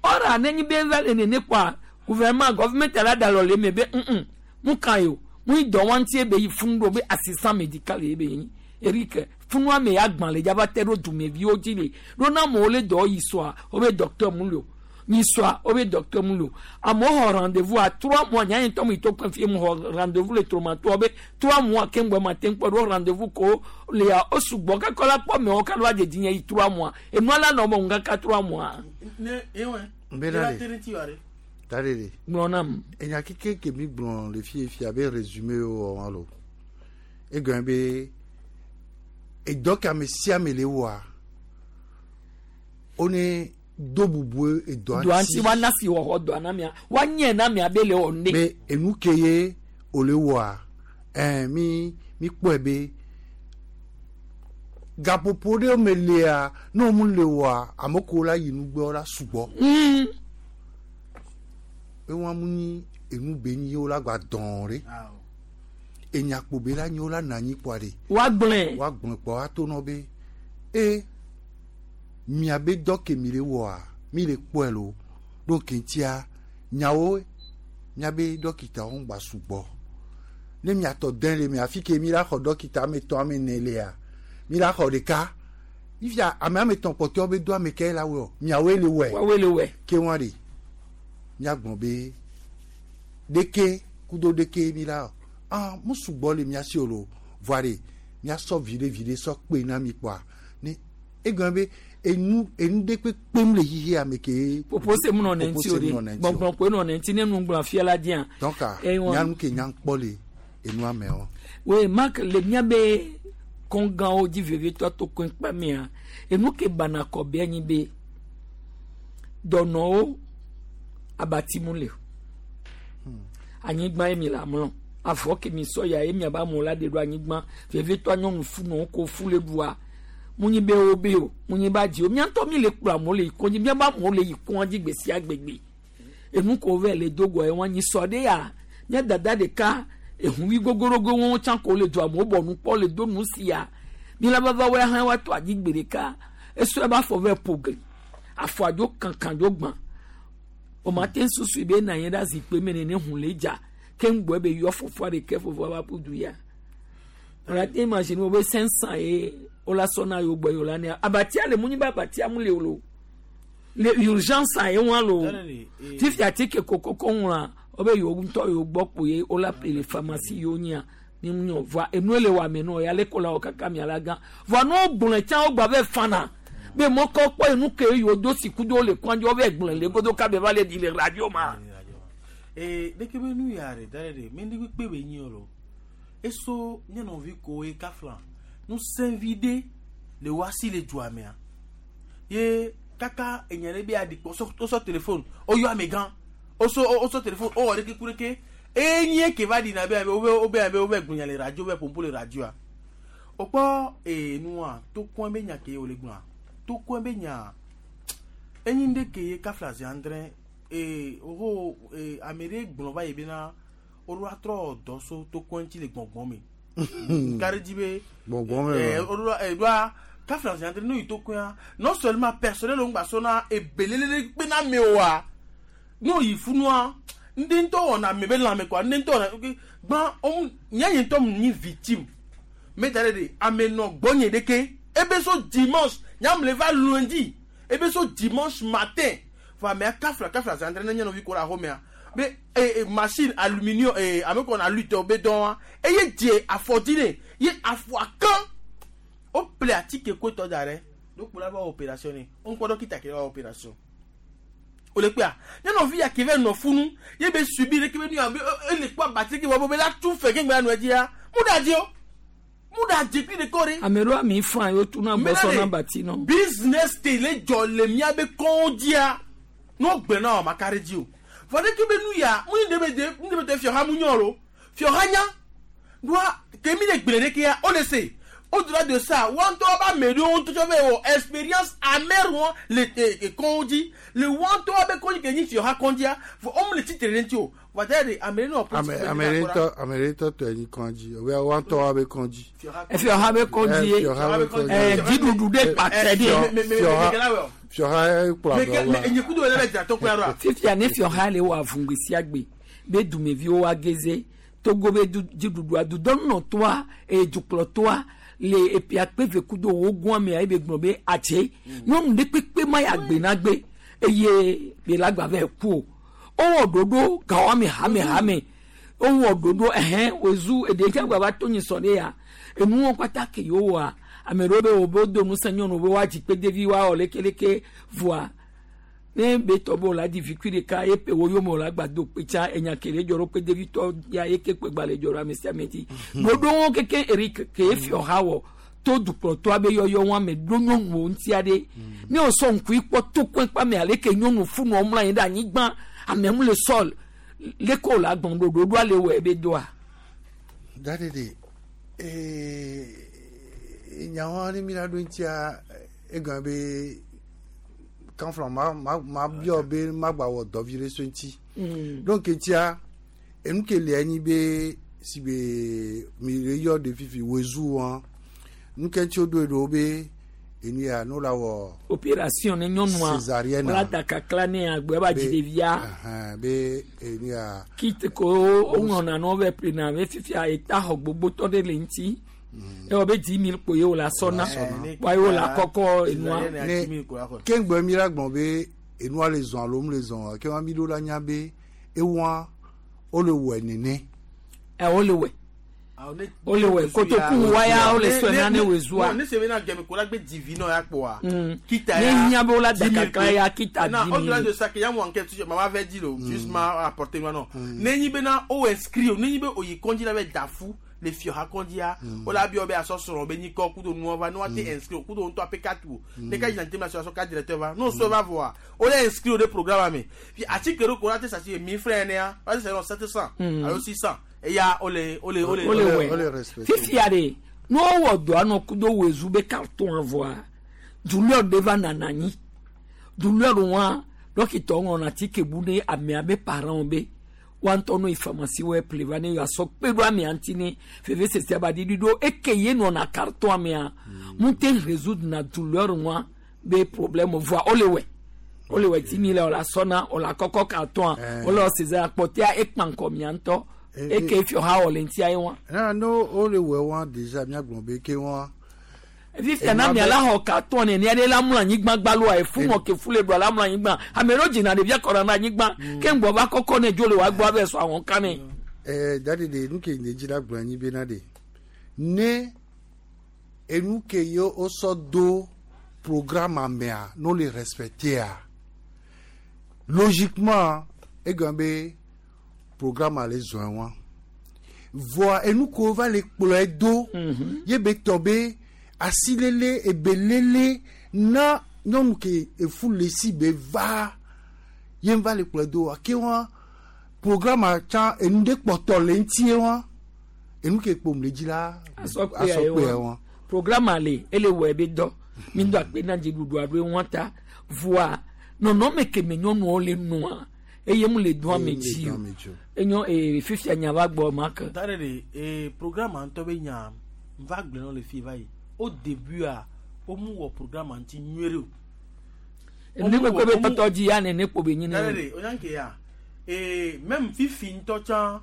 ɔra ne nyi be va le nene kpoa gouvernement gouvernement la da lɔ le me be ŋ mu kan yi o mu yi dɔ wa ŋuti be yi funu ɖo be assistant médical ye be nyi Eric funua me ya gbã le dzava te ɖo dumeviwo dzi le ɖo na amewo le dɔ yi sɔa wo be docteur mu le o mi sɔa wo be docteur mu le o amewo xɔ rendez-vous à trois mois nya ŋutɔ mu yi to kpe fie mu xɔ rendez-vous le tromatoa be trois mois ke ŋgbɛ ma te ŋkpɔ ɖo rendez-vous ko le ya o sugbɔ kakɔ la kpɔ mewo ka ɖo adzedzi nye yi trois mois enua la nɔ mɔ ŋu kaka trois mois.
Nbena de da de de.
Gblɔ nam.
Enya keke ke mi gblɔ le fie fia be résumé wo wɔ lo egɔme be edɔ ke ame sia ame le wɔa wo ne do bubu edɔa
dɔa ŋuti wa na si wɔxɔ dɔa na mia wa nye na mia be le wɔ ne.
be enu ke ye o le wɔa ɛɛ mi mi kpɔe be gaƒoƒo ɖe me lia ne wo mu le wɔa ame ko la yi nugbe la sugbɔ.
Mm.
be wɔn mu nyi enu be nyi wo la gba dɔn ɖe enyakpo be la nyi wo la na anyi kpɔa ɖe.
wa gblɔe.
wa gblɔe kpɔ wa to nɔ be e miabe dɔ ke mi le wɔa mi le kpɔe lo ɖo keŋtia nyawo miabe dɔkitawo ŋgba sugbɔ ne miatɔ dɛn le mia fi ke mi la xɔ dɔkita ame etɔ̃ ame ene lea mi la xɔ ɖeka ifia ame ame etɔ̃ kpɔtɔewo be do ame ke la wɔ miawoe le wɔe.
Woawoe le wɔe.
Ke wɔn de miagblɔ be Ɖeke kudo ɖeke mi la ah mu sugbɔ le mia si o lo voa de miasɔ viɖe viɖe sɔ kpe na mi kpɔa ne egɔme be enu enu ɖe kpekpem le xixi ame ke.
Popo se mu nɔ ne ŋuti o de gbɔngbɔn koe nɔ ne ŋuti ne nu gblɔ fia la dia.
Donc nyanu ke nya kpɔ le enua me o.
Oui Marc le mia be kɔngãwo dzi vevitɔ to koe kpa mea enu ke bana kɔ be anyi be dɔnɔwo abati mu le anyigba ye mi le amlɔ afɔ ke mi sɔ ya ye miaba amewo la de ɖo anyigba vevitɔ nyɔnu funɔwo ko fu le ɖua munyi be wo be o munyi ba dzi o miatɔ mi le kplɔ amewo le yi kɔndzi miaba amewo le yi kɔndzi gbe sia gbegbe enu ko vɛ le dogoa ye wɔn anyi sɔ ɖe ya mia dada ɖeka ehuvi gogorogo wɔn tsã ko le do amewo bɔ nu kpɔ le do nu sia mi la vava wɔ hã wa to adi gbe ɖeka esɔ ebe afɔ vɛ ƒo gli afɔ adzo kankan dzo gbã o ma te susu be na anyi ɖe zikpui me nene hu le dza ke ŋgbɔ be yɔ fofoa ɖeke fofoa va ƒu du ya o la te imagine wo be cinq cent ye o la sɔna yewo gbɔ yewo la ne abatia le mu nyi be abatia mu le o lo le urgence ye wɔn lo fifi atike kokoko ŋlɔa wo be yewo ŋutɔ yewo gbɔ kpo ye wo la ƒle le pharmacie yewo nyia ne mu nyɔ voa enue le wɔ ame nɔ ya le ko la wɔ kaka mia la gã voa ne wo gblɔe tsã wo gba vɛ fana be mɔkɔ kpɔ enu ke yewo do siku do le kɔndzi wo vɛ gblɔe le godo kabe va le di le radio ma.
Ee ɖeke be nu ya ɖe da ɖe ɖe mi ndi kpe be nyi o lo eso nye nɔvi ko ye kafla nusẽvi ɖe le wasi le dua mea ye kaka enya ɖe be aɖi kpɔ wosɔ telefone woyɔ ame gã wosɔ wosɔ telefone wowɔ ɖeke ku ɖeke enye ke va ɖina be abe wobe wobe abe wobe gblɔnya le radio wobe pompo le radioa wokpɔ ee nua tokɔe be nya ke wole gblɔa tokɔe be nya enyi ɖe ke ye kafla zi andre ee woho ee ame ɖe gblɔ va yi bena woɖo atrɔ dɔ so tokɔe ŋuti le gbɔngbɔn me kari dzi be
gbɔngbɔn me
ee woɖo ee ɖoa kafla zi andre n'oyi tokɔea non seulement personnel wo ŋgba sɔna ebelele kpena me oa n'oyi funua ndị ntɔ wɔna ame be lãme kɔa ndị ntɔ wɔna gbã ɔmu nye ŋutɔ mu nyi victime meta ɖe de ame nɔ gbɔnye ɖeke ebe so dimanche nyamle va lundi ebe so dimanche matin fɔ amea kafla kafla zandre ne nye nɔvi ko le axɔmea be ee machine aluminium ee ame kɔ na lutte be dɔn wa eye dze afɔdzi ne ye afɔa kan o ple atike koetɔ da ɖe ɖokpo la va opération ne o ŋkpɔ dɔkita ke va opération o le kpea nye nɔvi ya ke vɛ nɔ funu ye be subi ɖe ke be nu ya be ele kpɔ abati ke wɔ be la tu fɛ ke ŋgbɛ nɔ dzia mu da dzi o mu da dzi kpi ɖe kɔ ɖe.
Ame ɖewo ami fan yewo tuna bɔsɔ na bati nɔ.
Business te le dzɔ le mía be kɔn dzia n'o gbe na wɔ maka ɖe dzi o vɔ ɖe ke be nu ya mu ni ɖe be de mu ɖe be te fiɔha mu nyɔ lo fiɔha nya doa ke mi le gblẽ ɖe kea o le se. Au-delà de ça, wanto ba medo tout fait expérience amère won le kondi le wanto ba kondi ke ni fi ha kondia fo om le titre rentio va dire amere no
amere to amere to to ni kondi o wanto ba be kondi
e fi ha be kondi eh jidudu de pate de
fi ha kpla
do me kudo le be to kwa
fifi ane fi ha le wa vungbe siagbe be dumevi o ageze Togo be jidudu adu don no toa e duklo toa le epi akpeve kudo wo gun ame ayi be gblɔ be atse nyɔnu ɖe kpekpe ma ya gbe na gbe eye be la gba vɛ ku o wowɔ ɖoɖo gawo ame hame hame wowɔ ɖoɖo ɛhɛn wozu eɖe tse gba va to nyi sɔ ɖe ya enuwo kpata ke yewo wɔa ame ɖewo be wo be do ŋusẽ nyɔnu be woadzi kpedevi woawɔ lekeleke voa ne be tɔ be wòle adi vikui ɖeka ye pe wo yome wòle agba do kpe tsa enya ke le dzɔ ɖo kpedevi tɔ ya ye ke kpe gba le dzɔ ɖo ame sia ame dzi ɖoɖowo keke Eric ke efiɔ ha wɔ to dukplɔtɔa be yɔyɔ wɔn ame ɖo nyɔnuwo ŋuti aɖe ne wòsɔ ŋkui kpɔ to kpe kpa me ale ke nyɔnu funɔ mlɔ anyi ɖe anyigba ame mu le sɔl leke wòle agbɔn ɖo ɖoɖoa le wɔ ebe doa.
Dadede ee nyawo ne mi la ɖo ŋutia egɔme be. Kanfla ma ma ma biɔ be ma gba wɔ dɔvi ɖe so ŋuti donc ŋutia enu ke le anyi be si be mi le yɔ ɖe fifi woezu wɔn nu ke ŋuti woɖoe ɖo be enu ya no la wɔ.
Opération ne nyɔnua
césarienne
wòle da kakla ne agbe ba dzi ɖevia.
Be enu ya.
Kit ko woŋlɔna na wo ƒle na be fifia eta xɔ gbogbotɔ ɖe le ŋuti. Ewɔ be dix mille kpo ye wòle asɔna wa ye wòle akɔkɔ enua.
Ne keŋgbe mi la gbɔn be enua le zɔn alo mu le zɔn ke wa mi ɖo la nya be ewa wole wɔe nene.
Ɛ wole wɔe. Ole wɛ kotoku waya ole sɔ na ne wezua.
Ne se bena gɛmɛ ko la gbe divi nɔ ya kpɔa.
Kita ya. Ne nya be la dakaka ya kita
di. Na au-delà
dix
de ça que ya mo enquête toujours maman avait dit lo juste m'a apporté moi non. Ne nyi bena o inscrit o ne nyi be o yi konji la be dafu le fio ha konji ya. O la bi o be aso soro be nyi ko kudo nu va no te inscrit o kudo nto A P quatre o. Ne ka identité ma situation ka directeur va. Non so va voir. O le inscrit au de programme mais. Puis article ko la te ça c'est mille francs ne ya. Parce que c'est sept cents alors six cents. Eya ole ole ole
ole wɛ fifia de n'o wɔ dɔ anɔ kudo wezu be carton avoa douleur de va nana anyi douleur wa dɔkitɔ ŋlɔna atike bu ne amea be parents be wa ŋutɔ no yi pharmacie wɔ ple va ne asɔ kpe ɖo amea ŋuti ne veve sese ba ɖiɖi ɖo eke ye nɔna carton amea mu te résoudre na douleur wa be problème voa ole wɛ ole wɛ ti mi le o la sɔna o la kɔkɔ carton o le César akpɔtea ekpa ŋkɔ mia ŋutɔ. Et que fi ha ole ntia ye wa.
Na no ole we wa déjà mi agbon be ke wa.
Vi fi na mi ala ho carton ne ni ale la mla anyigba gbalo a fu mo ke fu le do ala mla anyigba. Ame ro jina de bia kora na anyigba. Ke ngbo ba koko ne jole wa gbo abe so awon ka ne.
Eh daddy de nu ke ne jira gbon anyi be na de. Ne enu ke yo o so do programme amea no le respecter. Logiquement e gambe programme ale zoin wa voa enu ko va le kplo do ye be tobe asilele ebelele na nyɔnu ke efu le si be va ye va le kplo do ake wa programme tsa enu de kpɔtɔ le ŋutie wa enu ke kpom le dzi la asɔkpe wa
programme ale ele wɔ ebe dɔ mi do akpe na dziɖuɖu aɖo wa ta voa nɔnɔme ke me nyɔnuwo le nua eye mu le dɔn ame dzi o enyo ee fifia nya va gbɔ ma ke.
tare de ee programme ŋutɔ be nya va gblẽ nɔ le fi va yi au début a o mu wɔ programme ŋuti nyuie o.
ne kpekpe be tɔtɔ dzi ya nene kpo be nyi ne.
tare de o nya ke ya ee même fifi ŋutɔ tsã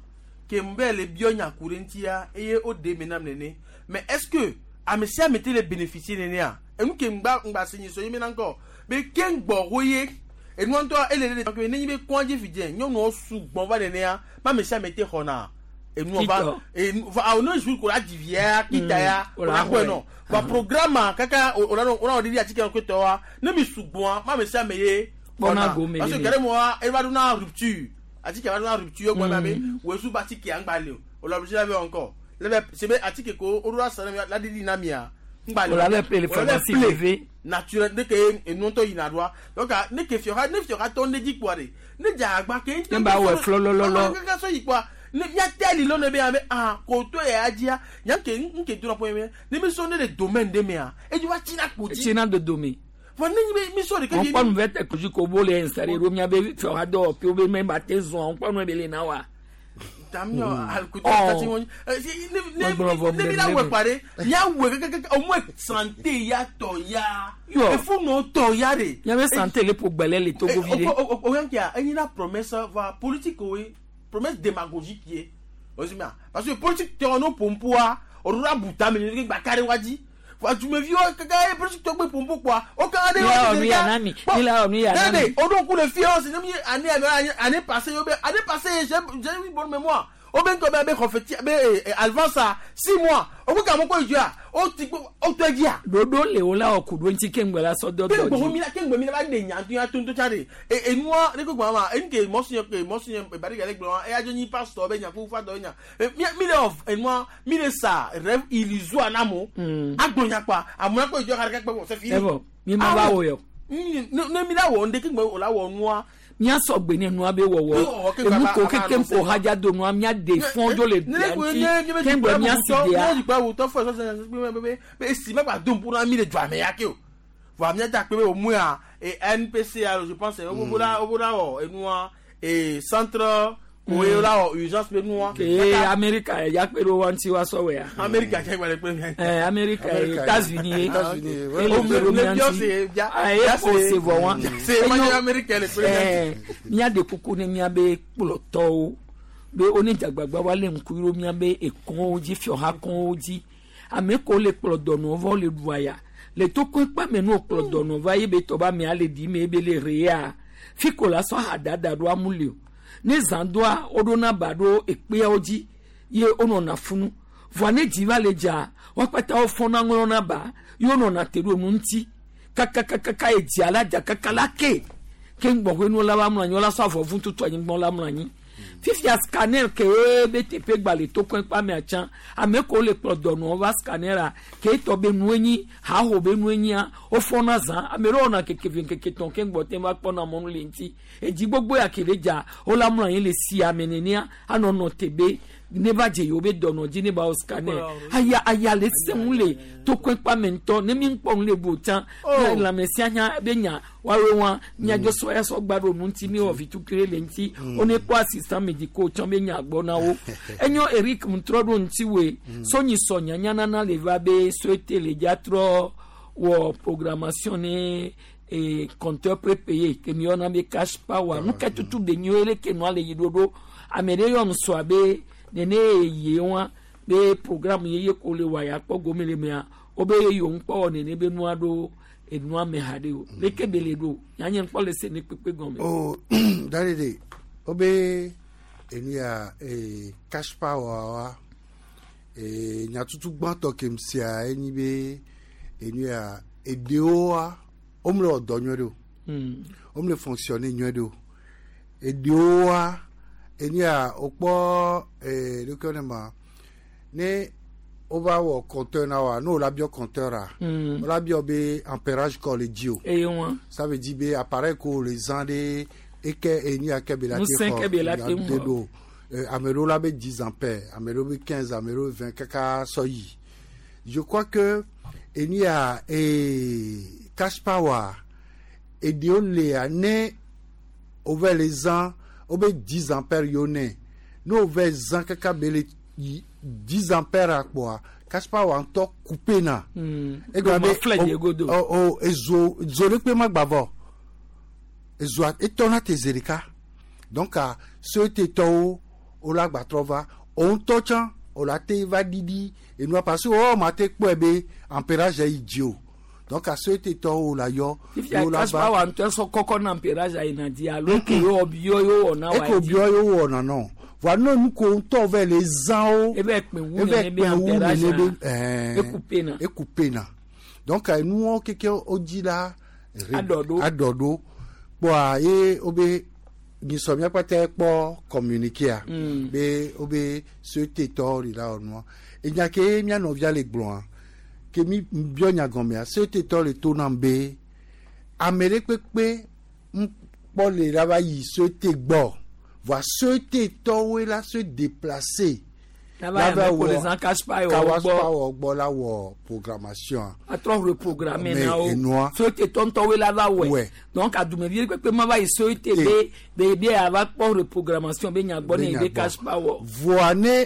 ke mu bɛ le biɔ nya ku ɖe ŋuti ya eye o de me nam nene mais est-ce que ame sia ame te le bénéficier nenea enu ke ŋgba ŋgba se nyi so ye mi na ŋkɔ be ke ŋgbɔ ho ye. Et nous, on est les nyɔnuwo sugbɔn va nenea ma ame sia ame te xɔna enu va et on a jour ko la divia kita ya o la kɔe nɔ va programme kaka o la o la ɖiɖi atike ko tɔ wa ne mi sugbɔn ma ame sia ame ye
xɔna
parce que kɛlɛ mɔ e va do na rupture atike va do na rupture gbɔn na be wesu ba atike angba le o o la obligé la be encore le bɛ sebe atike ko o do la sara la ɖiɖi na mia
o la bɛ ple le pharmacie privée
naturel ne ke enu ŋutɔ yina ɖoa donc ne ke fiɔha ne fiɔha tɔ ne dzi kpoa de ne dze agba ke
ne ba wɔ flɔlɔlɔlɔ
kaka sɔ yi kpoa ne miate li lɔ ne be ame ah ko to ya dzia nya ke nke do na pɔn ye ne mi sɔ ne le domaine de mea edzi wa tsina kpo dzi
tsina de dome
vɔ ne nyi be mi sɔ de
ke kpɔ nu vɛ tɛ kosi ko bo le installé ɖo mia be fiɔha dɔ pe wo be mɛ ba te zɔn kpɔ nu be le na wa.
Tamio alkutu tati won ne ne ne la we pare ya we keke au moins santé ya to ya il faut non to ya de
ya be santé le pour gbele le Togo vide
o o yan kia eni la promesse va politique oui promesse démagogique qui osimia parce que politique te ono pompoa o ra buta me ni gba kare waji fa tu me vieux keke politique to gbe pompo quoi o kan de
wa ni ya nami ni la ni ya nami
o don ku le fier c'est ni année année passée année passée j'ai j'ai une bonne mémoire o ben ko be confetti be avance six mois o ko ka mo ko ju a o ti o to gi a
dodo le o la o ku do nti kengbe la so do do
ke gbo mi la kengbe mi la ba de nya tu ya to to cha de e enu a re ko gbo ma en ke mo sin ke mo sin e bari gale gbo e ajo ni pastor be nya ku fa do nya mi mi le of enu a mi le sa rêve illusoire na mo agbo nya pa amu ko ju ka ka pe c'est fini
e mi ma ba wo yo
ne mi la wo nde kengbe o la wo nu a
mia sɔgbe ne nua be wɔwɔ emu ko keke ŋko hadza do nua mia de fɔn dzo le bia ŋuti kengbe mia si dea.
ne jikpa wòtɔ fɔ sɔsɔ esi ma gba dom ƒuna mi le dzɔ ame ya ke o vɔ mia da kpe be o mu ya e N P C A je pense o bo la o bo la wɔ enua e centre koe la wɔ urgence be nua.
Ee Amerika ya kpe ɖo wa ŋuti wa sɔwɔ ya.
Amerika kɛ gba le kpe mia.
Ɛɛ Amerika États-Unis ye ele kpe ɖo mia ŋuti eye ko se vɔ wa. Ɛɛ mia de kuku ne mia be kplɔtɔwo be wo ne dzagbagba wa le ŋku ɖo mia be ekɔwo dzi fiɔha kɔwo dzi ame ko le kplɔ dɔnɔ vɔ le ɖua ya le toko kpame no kplɔ dɔnɔ va ye be tɔba mia le ɖi me be le rea fi ko la sɔ hadada ɖo amu le o. Ne zã doa woɖona ba ɖo ekpeawo dzi ye wonɔna funu vɔa ne dzi va le dza woakpata wofɔna ŋlɔna ba ye wonɔna te ɖo nu ŋuti kakakakaka edzia la dza kaka la ke ke ŋgbɔƒe nu la va mlɔ anyi wola sɔ avɔ vu tutu anyigbɔ la mlɔ anyi fifia scanner ke ye be teƒe gba le tokɔe kpa mea tsã ame kewo le kplɔ dɔnɔwo va scanner a ke etɔ be nue nyi haho be nue nyia wofɔna zã ame ɖewo wɔna keke ve keke tɔn ke ŋgbɔ te va kpɔna mɔnu le ŋuti edzi gbogbo ya ke le dza wola mlɔ anyi le sia me nenea anɔ nɔ te be ne va dze yewo be dɔnɔ dzi ne ba wɔ scanner aya aya le sẽŋu le tokɔe kpa me ŋutɔ ne mi ŋkpɔ nu le bu tsã lãmesia nya be nya woawoe wa miadzɔ sɔ ya sɔ gba ɖo nu ŋuti mi wɔ vitukui le ŋuti wone kpɔ assistant médicaux tsã be nya gbɔ na wo enyo Eric ŋtrɔ ɖo ŋuti woe sonyi sɔ nyanya nana le va be société le dza trɔ wɔ programmation ne e compteur prépayé ke mi yɔna be cash power nu ke tutu be nyo ele ke nua le yi ɖoɖo ame ɖe yɔ nusɔa be nene ye wa be programme yeye ko le wa ya kpɔ gome le mea wobe yewo ŋkpɔ wɔ nene be nua ɖo enua me ha ɖe o leke be le ɖo nyanye ŋkpɔ le se ne kpekpe gɔme.
o dadede wobe enu ya ee cash power wa ee nyatutu gbãtɔ ke sia enyi be enu ya eɖewo wa womle wɔ dɔ nyuie ɖe o womle fonctionner nyuie ɖe o eɖewo wa enu ya wokpɔ ee ɖeke ne ma ne wova wɔ compteur na wa ne wola biɔ compteur a wola biɔ be ampérage kɔ le dzi o
eye wa
ça veut dire be appareil ko le zã ɖe eke enu ya ke be la te
Ŋusẽ ke be la te
xɔ
xɔ.
ɖo ame ɖewo la be dix ampères ame ɖewo be quinze ame ɖewo vingt kaka sɔ yi je crois que enu ya ee cash power eɖewo lea ne wova le zã wobe dix ampères yiwo ne ne wova zã kaka be le yi dix ampères akpɔa cash power ŋutɔ coupe na.
Egblɔ be filɛ de godo.
o o ezo zo ɖe kpe ma gba vɔ ezoa etɔna te zi ɖeka donc a société tɔwo wola gba trɔ va wo ŋutɔ tsã wola te va ɖiɖi enua parce que wɔwɔ ma te kpɔe be ampérage yi dzi o donc a société tɔwo la yɔ
fifia
wola
cash power ŋutɔ sɔ kɔkɔ na ampérage yina di alo ke yewo biɔ yewo wɔ na wa
eko biɔ yewo wɔna nɔ voa ne nu ko ŋutɔ vɛ le zã wo
ebe kpɛ wu
eve
nene be
kpɛ wu
ampérage
nene be ɛɛ
ekupe na
ekupe na donc enuwo keke wodzi la re-
Aɖɔɖo.
aɖɔɖo kpɔa ye wobe nyisɔ míakpata kpɔ communiqué
Mm.
be wobe société tɔwo li la wɔ nua enya ke mía nɔvia le gblɔa ke mi biɔ nya gɔmea société tɔ le to nam be ame ɖe kpekpe ŋkpɔ le la va yi société gbɔ voa société tɔwoe la se déplacer
La va yi ame ko le zã cash power
cash
gbɔ.
power gbɔ la wɔ programmation
atrɔ reprogramme
Mais
na wo
enua.
société tɔntɔwoe la va wɔe
Wɛ.
donc adumevi kpekpe ma va yi société be be be ava kpɔ reprogrammation be nya gbɔ ne
Be
be
nya gbɔ.
cash power.
voa ne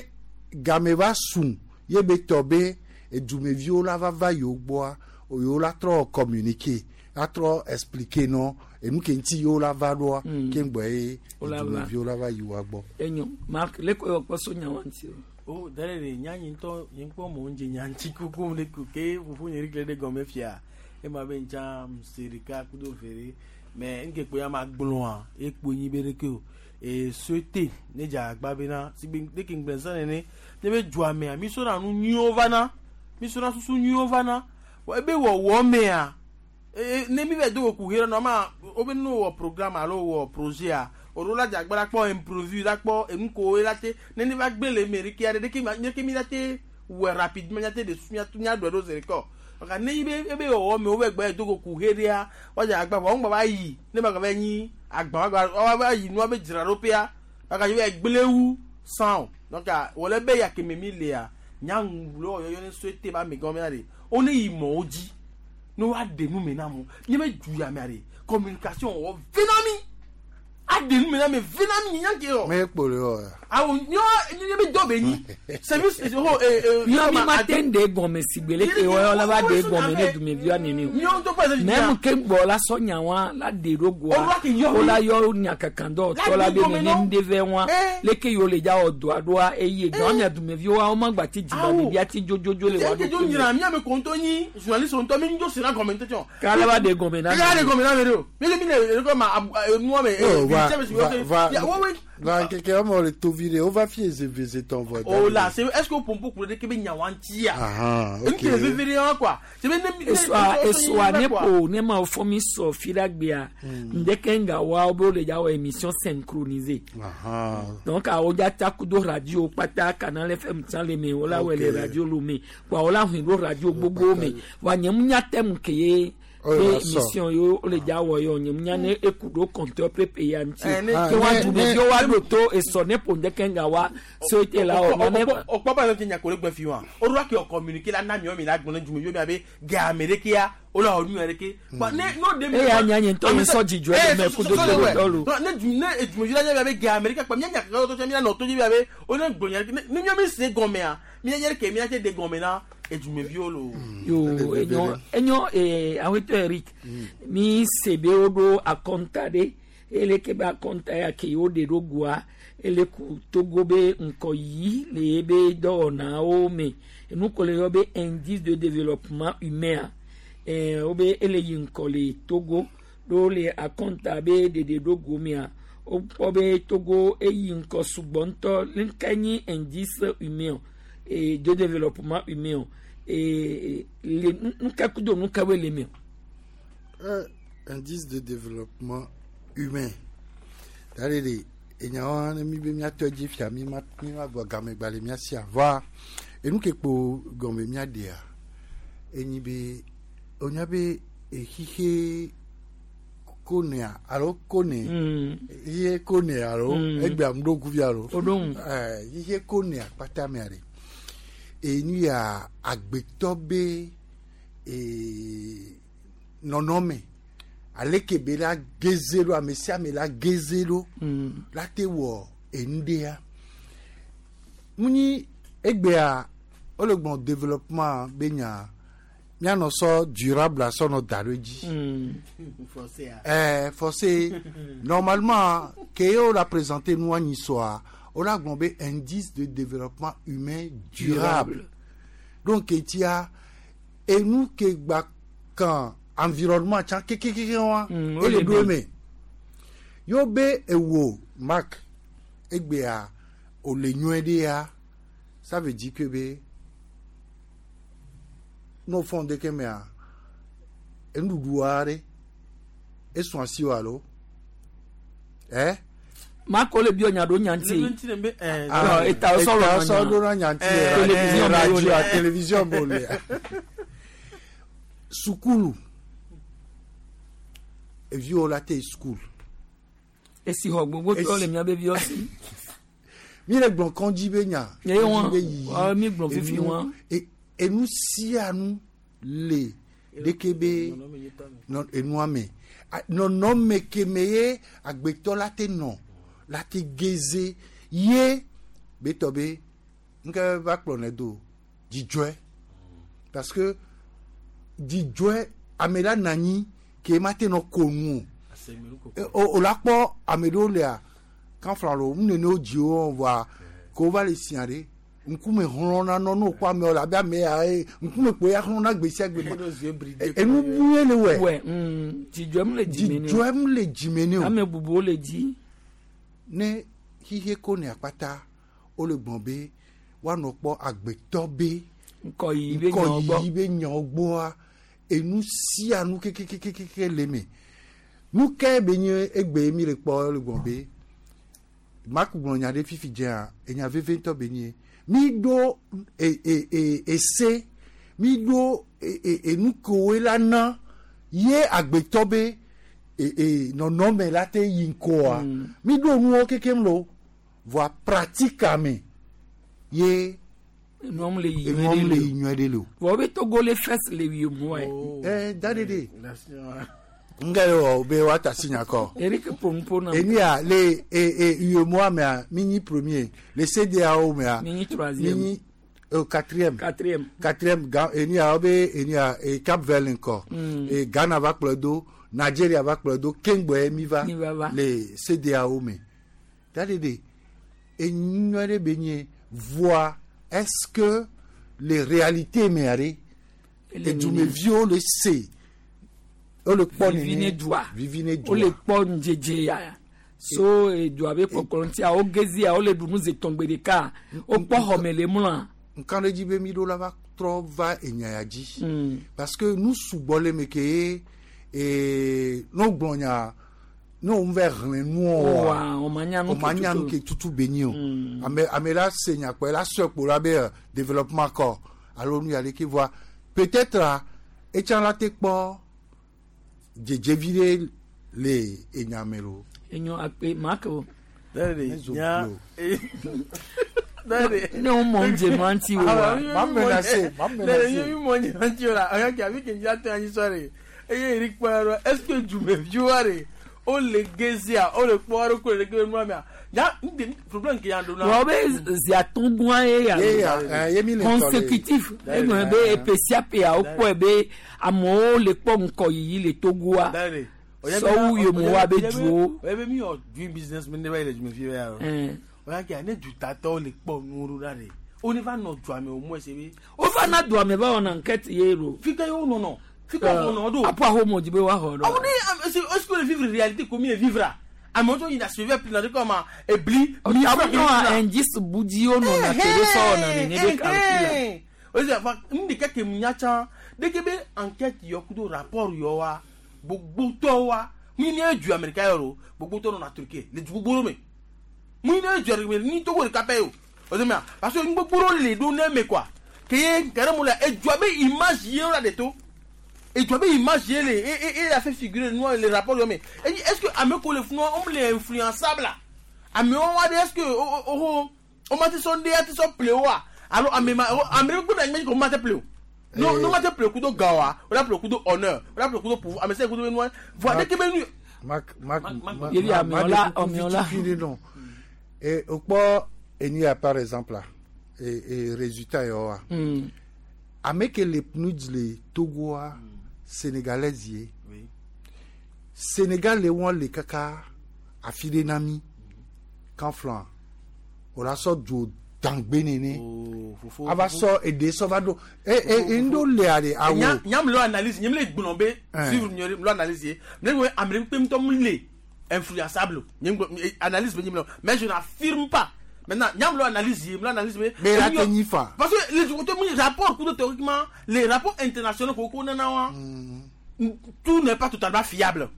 game va sun ye be tɔ be edumeviwo la va va yewo gbɔa yewo la trɔ communiquer la trɔ expliquer nɔ enu ke ŋuti yewo la va ɖoa
Mm.
ke ŋgbɔ ye
Wo la va.
edumeviwo la va yi wa gbɔ.
enyo mark leko yɔ kpɔ so nya wa ŋuti o.
o dare de nya nyi ŋutɔ nye ŋkpɔ mɔ ŋdze nya ŋuti kuku le ku ke fufu nye ɖe ɖe gɔme fia ema be ŋtsa se ɖeka kudo vere mɛ ŋke kpo ya ma gblɔa ekpo nyi be ɖeke o e société ne dze agba bena si be ne ke ŋgblẽ sã nene ne be dzoa mea mi sɔna nu nyuiwo vana mi sɔna susu nyuiwo vana Wɔ ebe wɔwɔ mea e ne mi bɛ do wo ku he nɔ ma wo be no wɔ programme alo wɔ projet a olo la dze agba la kpɔ improvu la kpɔ enu ko la te ne ne va gbe le me ɖeke aɖe ɖeke ma ɖeke mi la te wɔ rapidement mia te de su mia mia ɖɔe ɖo zi ɖeka o ɔka ne yi be ebe wɔwɔ me wo bɛ gbɛ do ko ku he ɖea woadze agba vɔ wo ŋgba va yi ne ba gava nyi agba wa gba wa yi nua be dzra ɖo ƒea ɔka yi be gblẽ wu san o donc wòle be ya keme mi lea nyaŋu le wɔyɔyɔ ne société ba ame gɔmea ɖe wo ne yi mɔwo dzi ne woaɖe nu me na mo nye be du ya mea ɖe communication wɔ vena mi aɖe nu me na mi vena mi nya ke yɔ
me kpo le wɔ.
awo nyɔ nye be dɔ be nyi service ho ee ee.
Nyɔ mi ma te ń de gɔme si gbe leke wɔyɔ la va de gɔme ne dumeviwa nene o.
Nyɔ ŋutɔ kpɔ ɛsɛ
Même ke gbɔ la sɔ nya wa la de ɖo goa
Olu ake yɔ
o
mi.
la yɔ nya kankan dɔ tɔ la
La
be
de gɔme
nene
nɔ.
ŋde vɛ wa leke yiwo le dza wɔ doa ɖoa eye gan mia dumeviwo wo ma gba ti dziba
Awo.
ɖevia ti dzodzodzo le wa
Eke dzo
ɖo
nyina mi ame ko ŋutɔ nyi journaliste ŋutɔ mi ŋutɔ sena gɔme ŋutɔ tsɔ.
K'ala va de gɔme na
K'ala de gɔme na mi ɖo. Mi le mi le le kɔ ma abu nua me.
Oh, wa Va va nkeke wɔme le tovi ɖe wova fi eze tɔn vɔ.
O la c'est est-ce que pompo kuro de kebe nyawanti ya.
Ahan ok.
Nke veve de wa quoi. C'est ne
eswa eswa ne po ne ma fɔ mi sɔ filagbea ndeke nga wa wo be le dza wɔ émission synchronisée.
Ahan.
Donc awo dza takudo radio kpata Canal F M tsã le me wo la wɔ le radio Lomé wa wo la hun ɖo radio gbogbo me wa nye mu nya tɛmu ke ye be mission yo le dza wɔ yɔ nye mu nya ne eku ɖo compteur prépayé ŋuti ke wa dume bi wa ɖo to esɔ ne po ndeke nga wa so ete la wɔ ne.
O kpɔ ba yɔ ti nyakore gbɛ fi wa o do ke o communiquer la na miɔ mi la gbɔn ne dume bi mi abe gɛ américain o la o nu yɛrɛ ke. Ne n'o de mi.
E y'a nya nye ntɔ mi sɔ dzidzɔ ye mɛ kudo to tɔlu.
Ne du ne dume la nya bi abe gɛ américain kpa mi nya kaka to mi la nɔ to dzi bi abe o ne gbɔn yɛrɛ ne miɔ mi se gɔmɛa mi yɛrɛ ke mi ya tse de gɔmɛ na. Edumeviwo lo.
Yo enyo enyo ee awetɔ Eric mi sebe wo ɖo akɔnta ɖe eleke be akɔnta ya ke wo ɖe ɖo goa ele ku Togo be ŋkɔyiyi le ye be dɔwɔnawo me enu ko le yɔ be indice de développement humain ɛɛ wo be ele yi ŋkɔ le Togo ɖo le akɔnta be ɖeɖe ɖo go mea wokpɔ be Togo eyi ŋkɔ sugbɔ ŋutɔ nuka nyi indice humain et de développement humain et les nous les miens.
Indice de développement humain. D'ailleurs, il y a un ami qui a dit qu'il y a un ami qui a dit et nous qui avons dit et nous on avait hihi kone alo kone hihi kone alo egbe amdo kuvi alo eh hihi kone akpata me are enu ya agbetɔ be ee nɔnɔme aleke be la geze ɖo ame sia ame la geze ɖo la te wɔ enu ɖea munyi egbea wole gblɔ développement be nya mianɔ sɔ durable asɔ nɔ da ɖo edzi ɛɛ forcé normalement ke ye wo la présenter nua nyi sɔa on a gblɔ indice de développement humain durable. durable. Donc etia enu ke gba kan environnement tsa kekekeke wa ele do eme yo be ewo mark egbea o le nyuie ɖe ya ça veut dire que be n'o fɔn de ke mea enuɖuɖu aɖe esɔn asi o alo ɛ.
Mako le bio nya do nyanti.
Eta solo do na nyanti. Télévision radio télévision bole. Sukulu. Evio la te school.
Esi ho gbogbo to le mia be bio si.
Mi le gbon kan ji be nya.
E won. Ah mi gbon fifi won.
E enu si anu le dekebe non enu ame. Non non me kemeye agbetɔ la te non. La te geze ye betɔ be nke va kplɔ ne do dzidzɔe parce que dzidzɔe ame la na anyi ke ma te nɔ ko nu o o la kpɔ ame ɖewo lea kanfra lo nu nene wo dzi wo voa ke wova le sia ɖe ŋkume hlɔ̃na nɔ ne wokpɔ amewo le abe ame ya ye ŋkume kpo ya hlɔ̃na gbe sia gbe enu bue le wɛ
dzidzɔe mu le dzime ne o
dzidzɔe mu le dzime ne o
ame bubuwo le dzi.
Ne xixe ko ne akpata wole gblɔ be woanɔ kpɔ agbetɔ be
ŋkɔyiyi be nyawo gbɔ
ŋkɔyiyi be nyawo gbɔa enu sia nu kekekekeke le me nu ke be nye egbe mi le kpɔ le gblɔ be Mark gblɔ nya ɖe fifi dzea enya veve ŋutɔ be nye mi ɖo e e e ese mi ɖo e e enu kewoe la na ye agbetɔ be e e nɔnɔme la te yi ŋkɔa mi ɖo nuwo kekem lo voa pratique me ye
enuam le yi
enuam le yi nyuie ɖe le o.
Vɔ be Togo le fɛs le yi mɔ ye.
Ɛ da de de nga le wɔ be wa ta si nya kɔ.
Eric Pompo na.
Enia le e e UEMOA mea mi nyi premier le C D A O mea.
Mi nyi troisième.
Mi nyi euh, quatrième.
Quatrième.
Quatrième Ga enia be enia e Cap Vert ŋkɔ.
Mm.
E Ghana va kplɔ do Nigeria va kplɔ do Kengbe mi va
Mi va va.
le C D A O me. Da de de enyuie ɖe be nye voa est-ce que les réalités mea ɖe edumeviwo le se wole kpɔ
Vivi ne dua.
vivi ne dua
Wole kpɔ ŋdzedze ya So edua be kpɔkplɔ ŋutia wo gezia wo le ɖu nu zi etɔ̃ gbe ɖeka wokpɔ xɔme le mlɔa.
Nkan ɖe dzi be mi ɖo la va trɔ va enya ya dzi.
Mm.
Parce que nu sugbɔ le me ke ye ee ne wogblɔ nya ne wo va xlẽ nuɔ
Wa, o ma nya nu
o ma
ke
nya nu
tutu.
ke tutu be nyi o.
Mm.
Ame ame la se nya kpɔ la sɔe kpo la be euh, développement kɔ alo nu ya ɖeke voa peut-être a etsã la te kpɔ dzedzevi ɖe le enya me lo.
Enyo akpe make o.
Dare nya
Ne wo mɔ ŋdze ma ŋuti o wa.
Ma menacé, ma
Dare
menacé.
nye mi mɔ nye ŋuti o la ɔyɔ ke afi ke ŋdza tɔ anyi sɔ re eye eri kpɔ yɔ est ce que dumeviwoa re o le gezia o le kpɔ ɖo ko le ke nua mea nya ŋde problème ke ya ɖo na.
Wọ́n bɛ ziatɔn gɔn ye ya.
Ye ya, eh, ye mi le tɔ le.
Consécutif. Egblɔ be epe sia pe a wokpɔe be amewo le kpɔ ŋkɔyiyi le Togoa.
Dare
Sɔwu yomowoa be duwo.
ɔyɛ be mi yɔ doing business mi ne ba yi le dumevi bɛ ya o.
Eh.
Ɔyɔ ke ne dutatɔwo le kpɔ nuwo ɖo ɖa re o ne va nɔ dua me o mɔ ese be.
Wova na dua me va wɔna enquête ye lo.
Fi ke ye wo nɔnɔ fi ke wo nɔnɔ ɖo.
Apo ahomo dzi be woaxɔ ɖo.
Awo ne est ce que le vivre réalité comme il vivre amewo tso yina suivi pina de comme ebli.
Ɔtabu indice budiwo nɔna ke be sɔ wɔna nene be calcul
o se fa nu ɖeka ke mu nya tsã ɖeke be enquête yɔ kudo rapport yɔ wa gbogbotɔ wa mu ne du américain yɔ lo gbogbotɔ nɔna Turquie le du gbogbo me mu ne du américain ni Togo ɖeka pɛ o o se mea parce que gbogbo le ɖo ne me quoi ke ye kɛrɛ mu la edua be image ye la de to edua be image ye le e e e la fait figurer nous le rapport yɔ me et est ce que ame ko le funu on le influençable la amewo wa de est ce que o o o ma te sɔn de ya te sɔn ple wa alo ame ma ame gbogbo na ŋmɛ ko ma te ple o no no ma te ple kudo gan wa o la ple kudo honneur o la ple kudo pouvoir ame se kudo be nua voa de ke be nu.
Mak mak mak
Yevi amewo amewo la.
non. Et au kpɔ enu ya par exemple la et et résultat yɔ wa.
Mm.
Ame ke le PNUD le Togoa sénégalaise ye. Sénégal le wɔn le kaka afi ɖe na mi kan flan o la sɔ dzo dangbe nene. Ava sɔ eɖe sɔ va ɖo e e ŋdo lea de awo.
Nyam le analyse nyam le gblɔ be
Eh.
suivre nyɔ le analyse ye mle gblɔ ame ɖe kpe ŋutɔ mu le influençable nyam gblɔ analyse be nyam le mais je n'affirme pas maintenant nyam le analyse ye mle analyse be.
Mais la te nyi fa.
Parce que les les rapports kudo théoriquement les rapports internationaux koko nana wa tout n'est pas totalement fiable.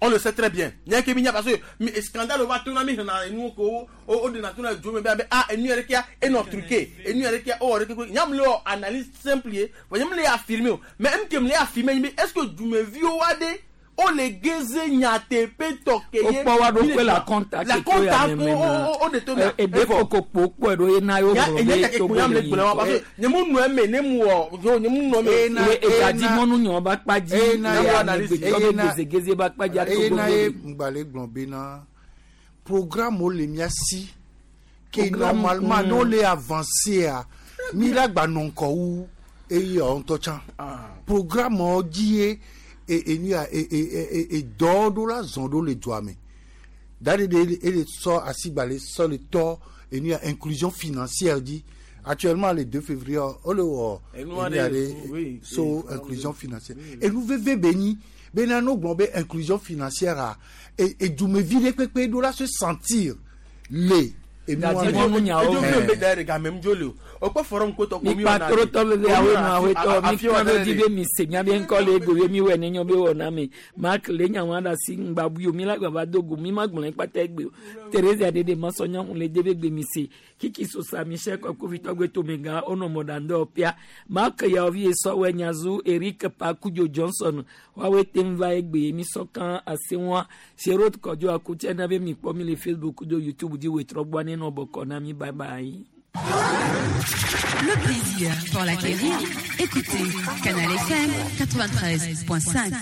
On le sait très bien. Nya ke minya parce que mi scandale va tourner mi na enu ko o o de na tourner jo me be ah enu yere kia e no truqué enu yere kia o re ke nyam le analyse simple ye vo nyam le affirmer o mais m ke m le affirmer mi est-ce que du me vi o wa de o le geze nya te pe to ke ye
Wokpɔ wa ɖokui la compta
la
ke to ya
compta
me
ko
me
o
na.
o o de to me
Ebe kokokpo kpɔe ɖo ye na yewo
nya
gblɔ
enya
be
ke
Togo
nyam le
le yi
gblɔ wa parce
ŋkɔ.
que nyemu nu eme ne mu wɔ yo nyemu nu eme
Ye egadzi mɔnu nyɔ ba kpa dzi
Ena-
ye
ena-
amegbetɔ be
ena-
gezegeze ba kpa dzi
eye
Togo
na ye
le.
ŋgbalẽ gblɔ bena programme wo le mía si ke
Programme,
normalement
mm.
ne wole avancé mi la gba nɔ ŋkɔ wu eye yewo ŋutɔ tsã programme wo dzi ye e enu ya e e e e dɔwo ɖo la zɔn ɖo le dua me da ɖe ɖe ele sɔ asigbalẽ sɔ le tɔ enu ya inclusion financière dzi actuellement le deux février wole wɔ
Enu
enu ya
aɖe,
ɖe
oui,
so inclusion financière enu veve be nyi bena no gblɔ be inclusion financière a e edumevi ɖe kpekpe ɖo la se sentir le enu wa
Gadzimɔnu nyawo.
edzo mi be da yɛrɛ game mu dzo le o o kpɔ forum ko tɔ ko mi
mikpa trotɔ bebe awo nu awetɔ mi kan ɖo dzi be mi se mía be ŋkɔ le ego be mi wɔ ne nyɔ be wɔ na mi mark le nya wa ɖe asi ŋgba bui o mi la gbava do go mi ma gblɔ kpata egbe o teresa ɖeɖe ma sɔ nyɔnu le de be gbe mi se kiki sosa michel kɔkɔvitɔ gbe tomegã wonɔ mɔɖaŋdɔ pia mark yawovi esɔwɔ nyazu eric pakudzo johnson woawoe te ŋu va egbe mi sɔ kan ase ŋua serot kɔdzo akutse na be mi kpɔ mi le facebook do youtube dzi wetrɔ gbɔ ne nɔ bɔkɔ na mi bye bye.
Le plaisir pour l'acquérir. Écoutez Canal F M quatre-vingt-treize point cinq.